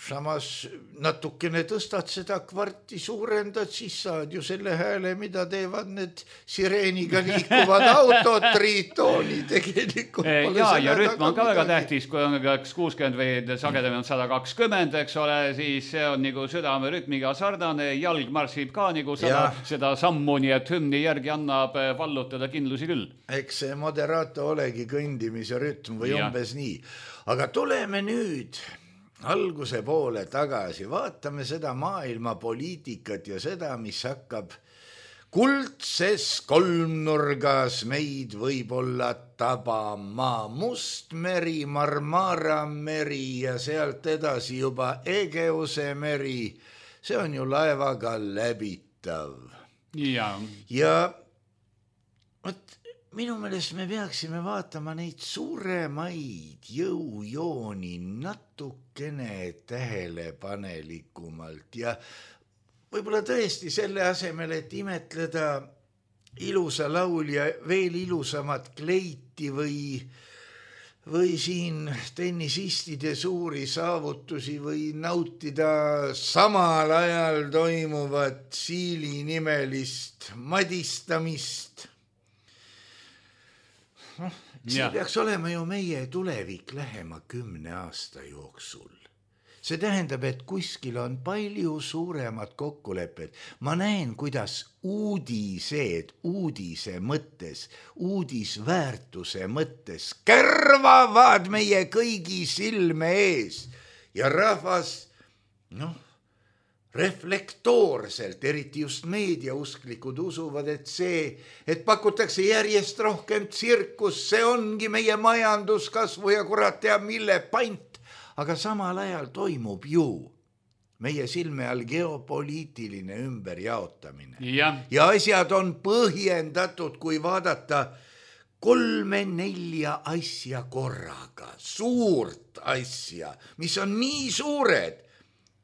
samas natukene tõstad seda kvarti, suurendad, siis saad ju selle hääle, mida teevad need sireeniga liikuvad autod, triitooni tegelikult. Jaa, ja rütm on ka väga tähtis, kui on kuuskümmend või sagedamini on sada kakskümmend, eks ole, siis see on nagu südame rütmiga sardane, jalg marsib ka nagu seda, seda sammu, nii et hümni järgi annab vallutada kindlusi küll. Eks see moderato olegi kõndimise rütm või ja. Umbes nii. Aga tuleme nüüd alguse poole tagasi, vaatame seda maailma poliitikat ja seda, mis hakkab kuldses kolmnurgas meid võib-olla tabama. Mustmeri, Marmara meri ja sealt edasi juba Egeuse meri. See on ju laevaga läbitav. Ja, ja võt, minu meelest me peaksime vaatama neid suuremaid jõujooni natukene tähelepanelikumalt ja võib-olla tõesti selle asemel, et imetleda ilusa laulja veel ilusamat kleiti või, või siin tennisistide suuri saavutusi või nautida samal ajal toimuvat Siili nimelist madistamist. No, see ja. Peaks olema ju meie tulevik lähema kümne aasta jooksul. See tähendab, et kuskil on palju suuremad kokkulepped. Ma näen, kuidas uudised, uudise mõttes, uudisväärtuse mõttes kärvavad meie kõigi silme ees ja rahvas, noh, reflektoorselt, eriti just meediausklikud usuvad, et see, et pakutakse järjest rohkem tsirkus, see ongi meie majanduskasvu ja kurat teab mille pant, aga samal ajal toimub ju meie silme all geopoliitiline ümberjaotamine. Ja. ja asjad on põhjendatud, kui vaadata kolme-nelja asja korraga, suurt asja, mis on nii suured,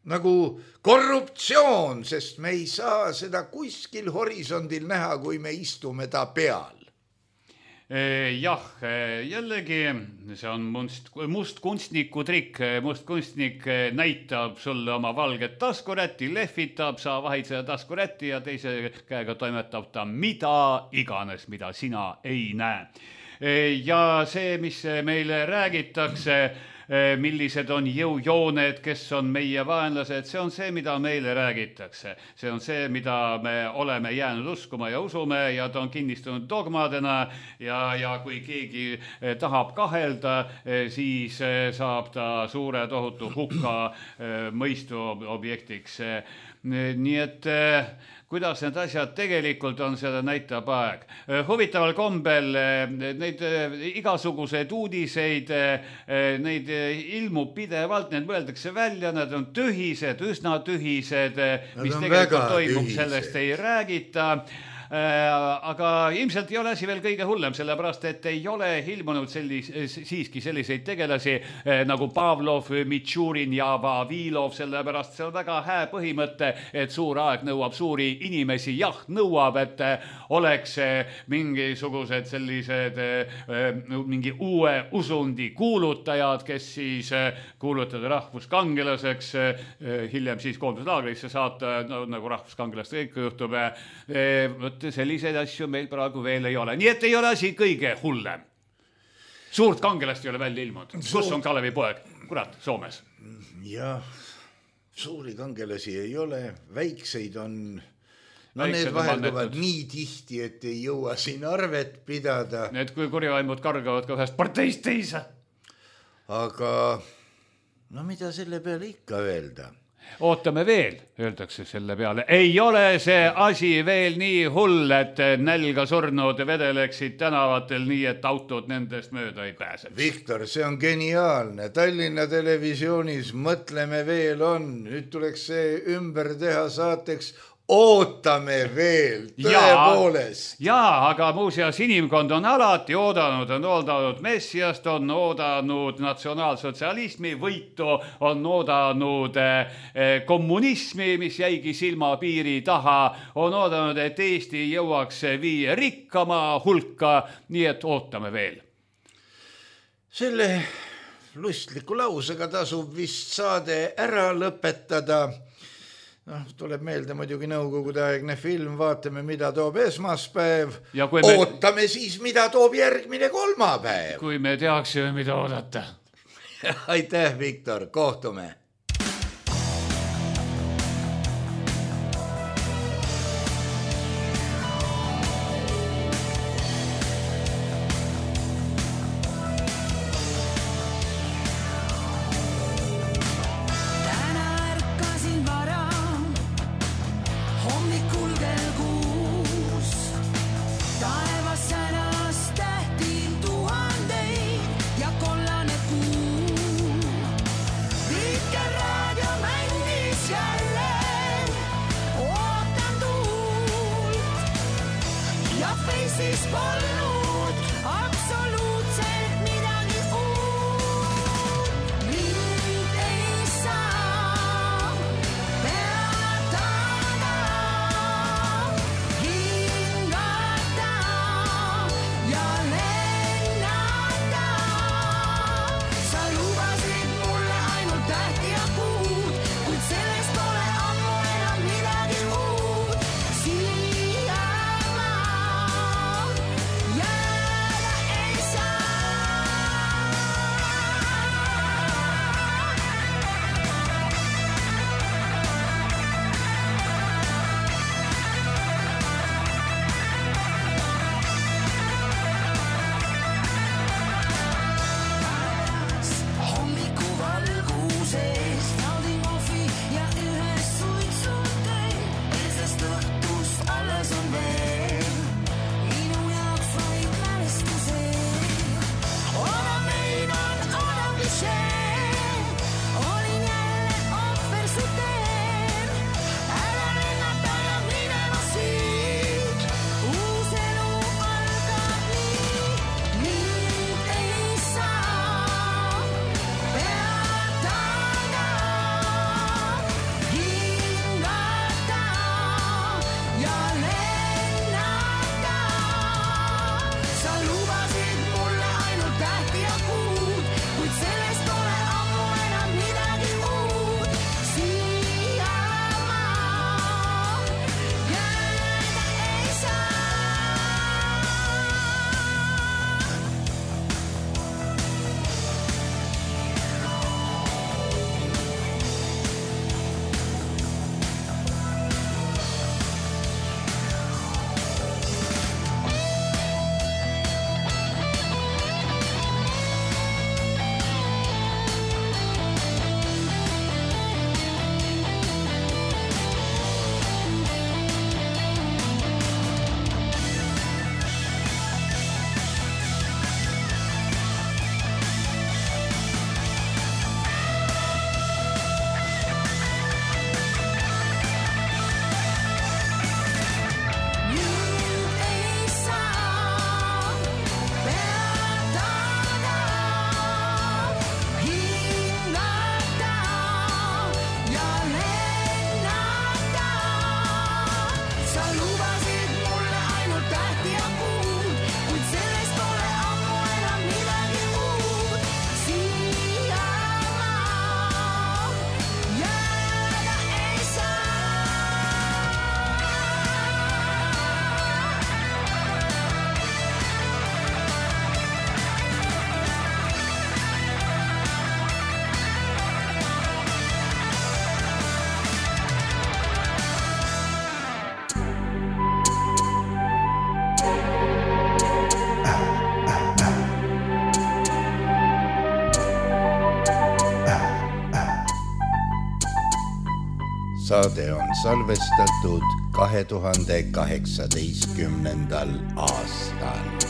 nagu korruptsioon, sest me ei saa seda kuskil horisondil näha, kui me istume ta peal. Jah, jällegi see on must, must kunstniku trikk. Must kunstnik näitab sulle oma valget taskurätti, lehvitab, sa vahid seda taskurätti ja teise käega toimetab ta mida iganes, mida sina ei näe. Ja see, mis meile räägitakse, millised on jõujooned, kes on meie vaenlased, see on see, mida meile räägitakse. See on see, mida me oleme jäänud uskuma ja usume ja ta on kinnistunud dogmadena ja, ja kui keegi tahab kahelda, siis saab ta suure tohutu hukka mõistu objektiks. Nii et kuidas need asjad tegelikult on, seda näitab aeg. Huvitaval kombel neid igasugused uudiseid, neid ilmub pidevalt, need mõeldakse välja, nad on tühised, üsna tühised, mis tegelikult toimub, tühised. Sellest ei räägita. Aga ilmselt ei ole asi veel kõige hullem, sellepärast, et ei ole ilmunud sellis, siiski selliseid tegelasi nagu Pavlov, Mitšurin ja Vavilov, sellepärast see on väga hää põhimõte, et suur aeg nõuab suuri inimesi. Jah, nõuab, et oleks mingisugused sellised mingi uue usundi kuulutajad, kes siis kuulutada rahvuskangelaseks, hiljem siis koonduslaagrisse saata, no, nagu rahvuskangelast kõik juhtub. Võt et selliseid asju meil praegu veel ei ole. Nii et ei ole asi kõige hullem. Suurt kangelast ei ole välja ilmunud. Kus on Kalevi poeg? Kurat, Soomes. Jah, suuri kangelasi ei ole, väikseid on... No Väiksed need vahelduvad nii tihti, et ei jõua siin arvet pidada. Need kui kurjaimud kargavad ka ühest parteist teise. Aga no mida selle peale ikka öelda? Ootame veel, öeldakse selle peale. Ei ole see asi veel nii hull, et nälga surnud vedeleksid tänavatel nii, et autod nendest mööda ei pääseks. Viktor, see on geniaalne. Tallinna televisioonis mõtleme veel on. Nüüd tuleks see ümber teha saateks Ootame veel, tõepoolest. Jaa, aga muuseas inimkond on alati oodanud, on oodanud messiast, on oodanud natsionaalsotsialismi võitu, on oodanud kommunismi, mis jäigi silmapiiri taha, on oodanud, et Eesti jõuaks viie rikkama hulka, nii et ootame veel. Selle lustliku lausega tasub vist saade ära lõpetada. No, tuleb meelde muidugi nõukogude aegne film, vaatame, mida toob esmaspäev. Me... Ootame siis, mida toob järgmine kolmapäev. Kui me teaksime, mida oodata. Aitäh, Viktor, kohtume. Yeah. saade on salvestatud kahe tuhande kaheksateistkümnendal aastal.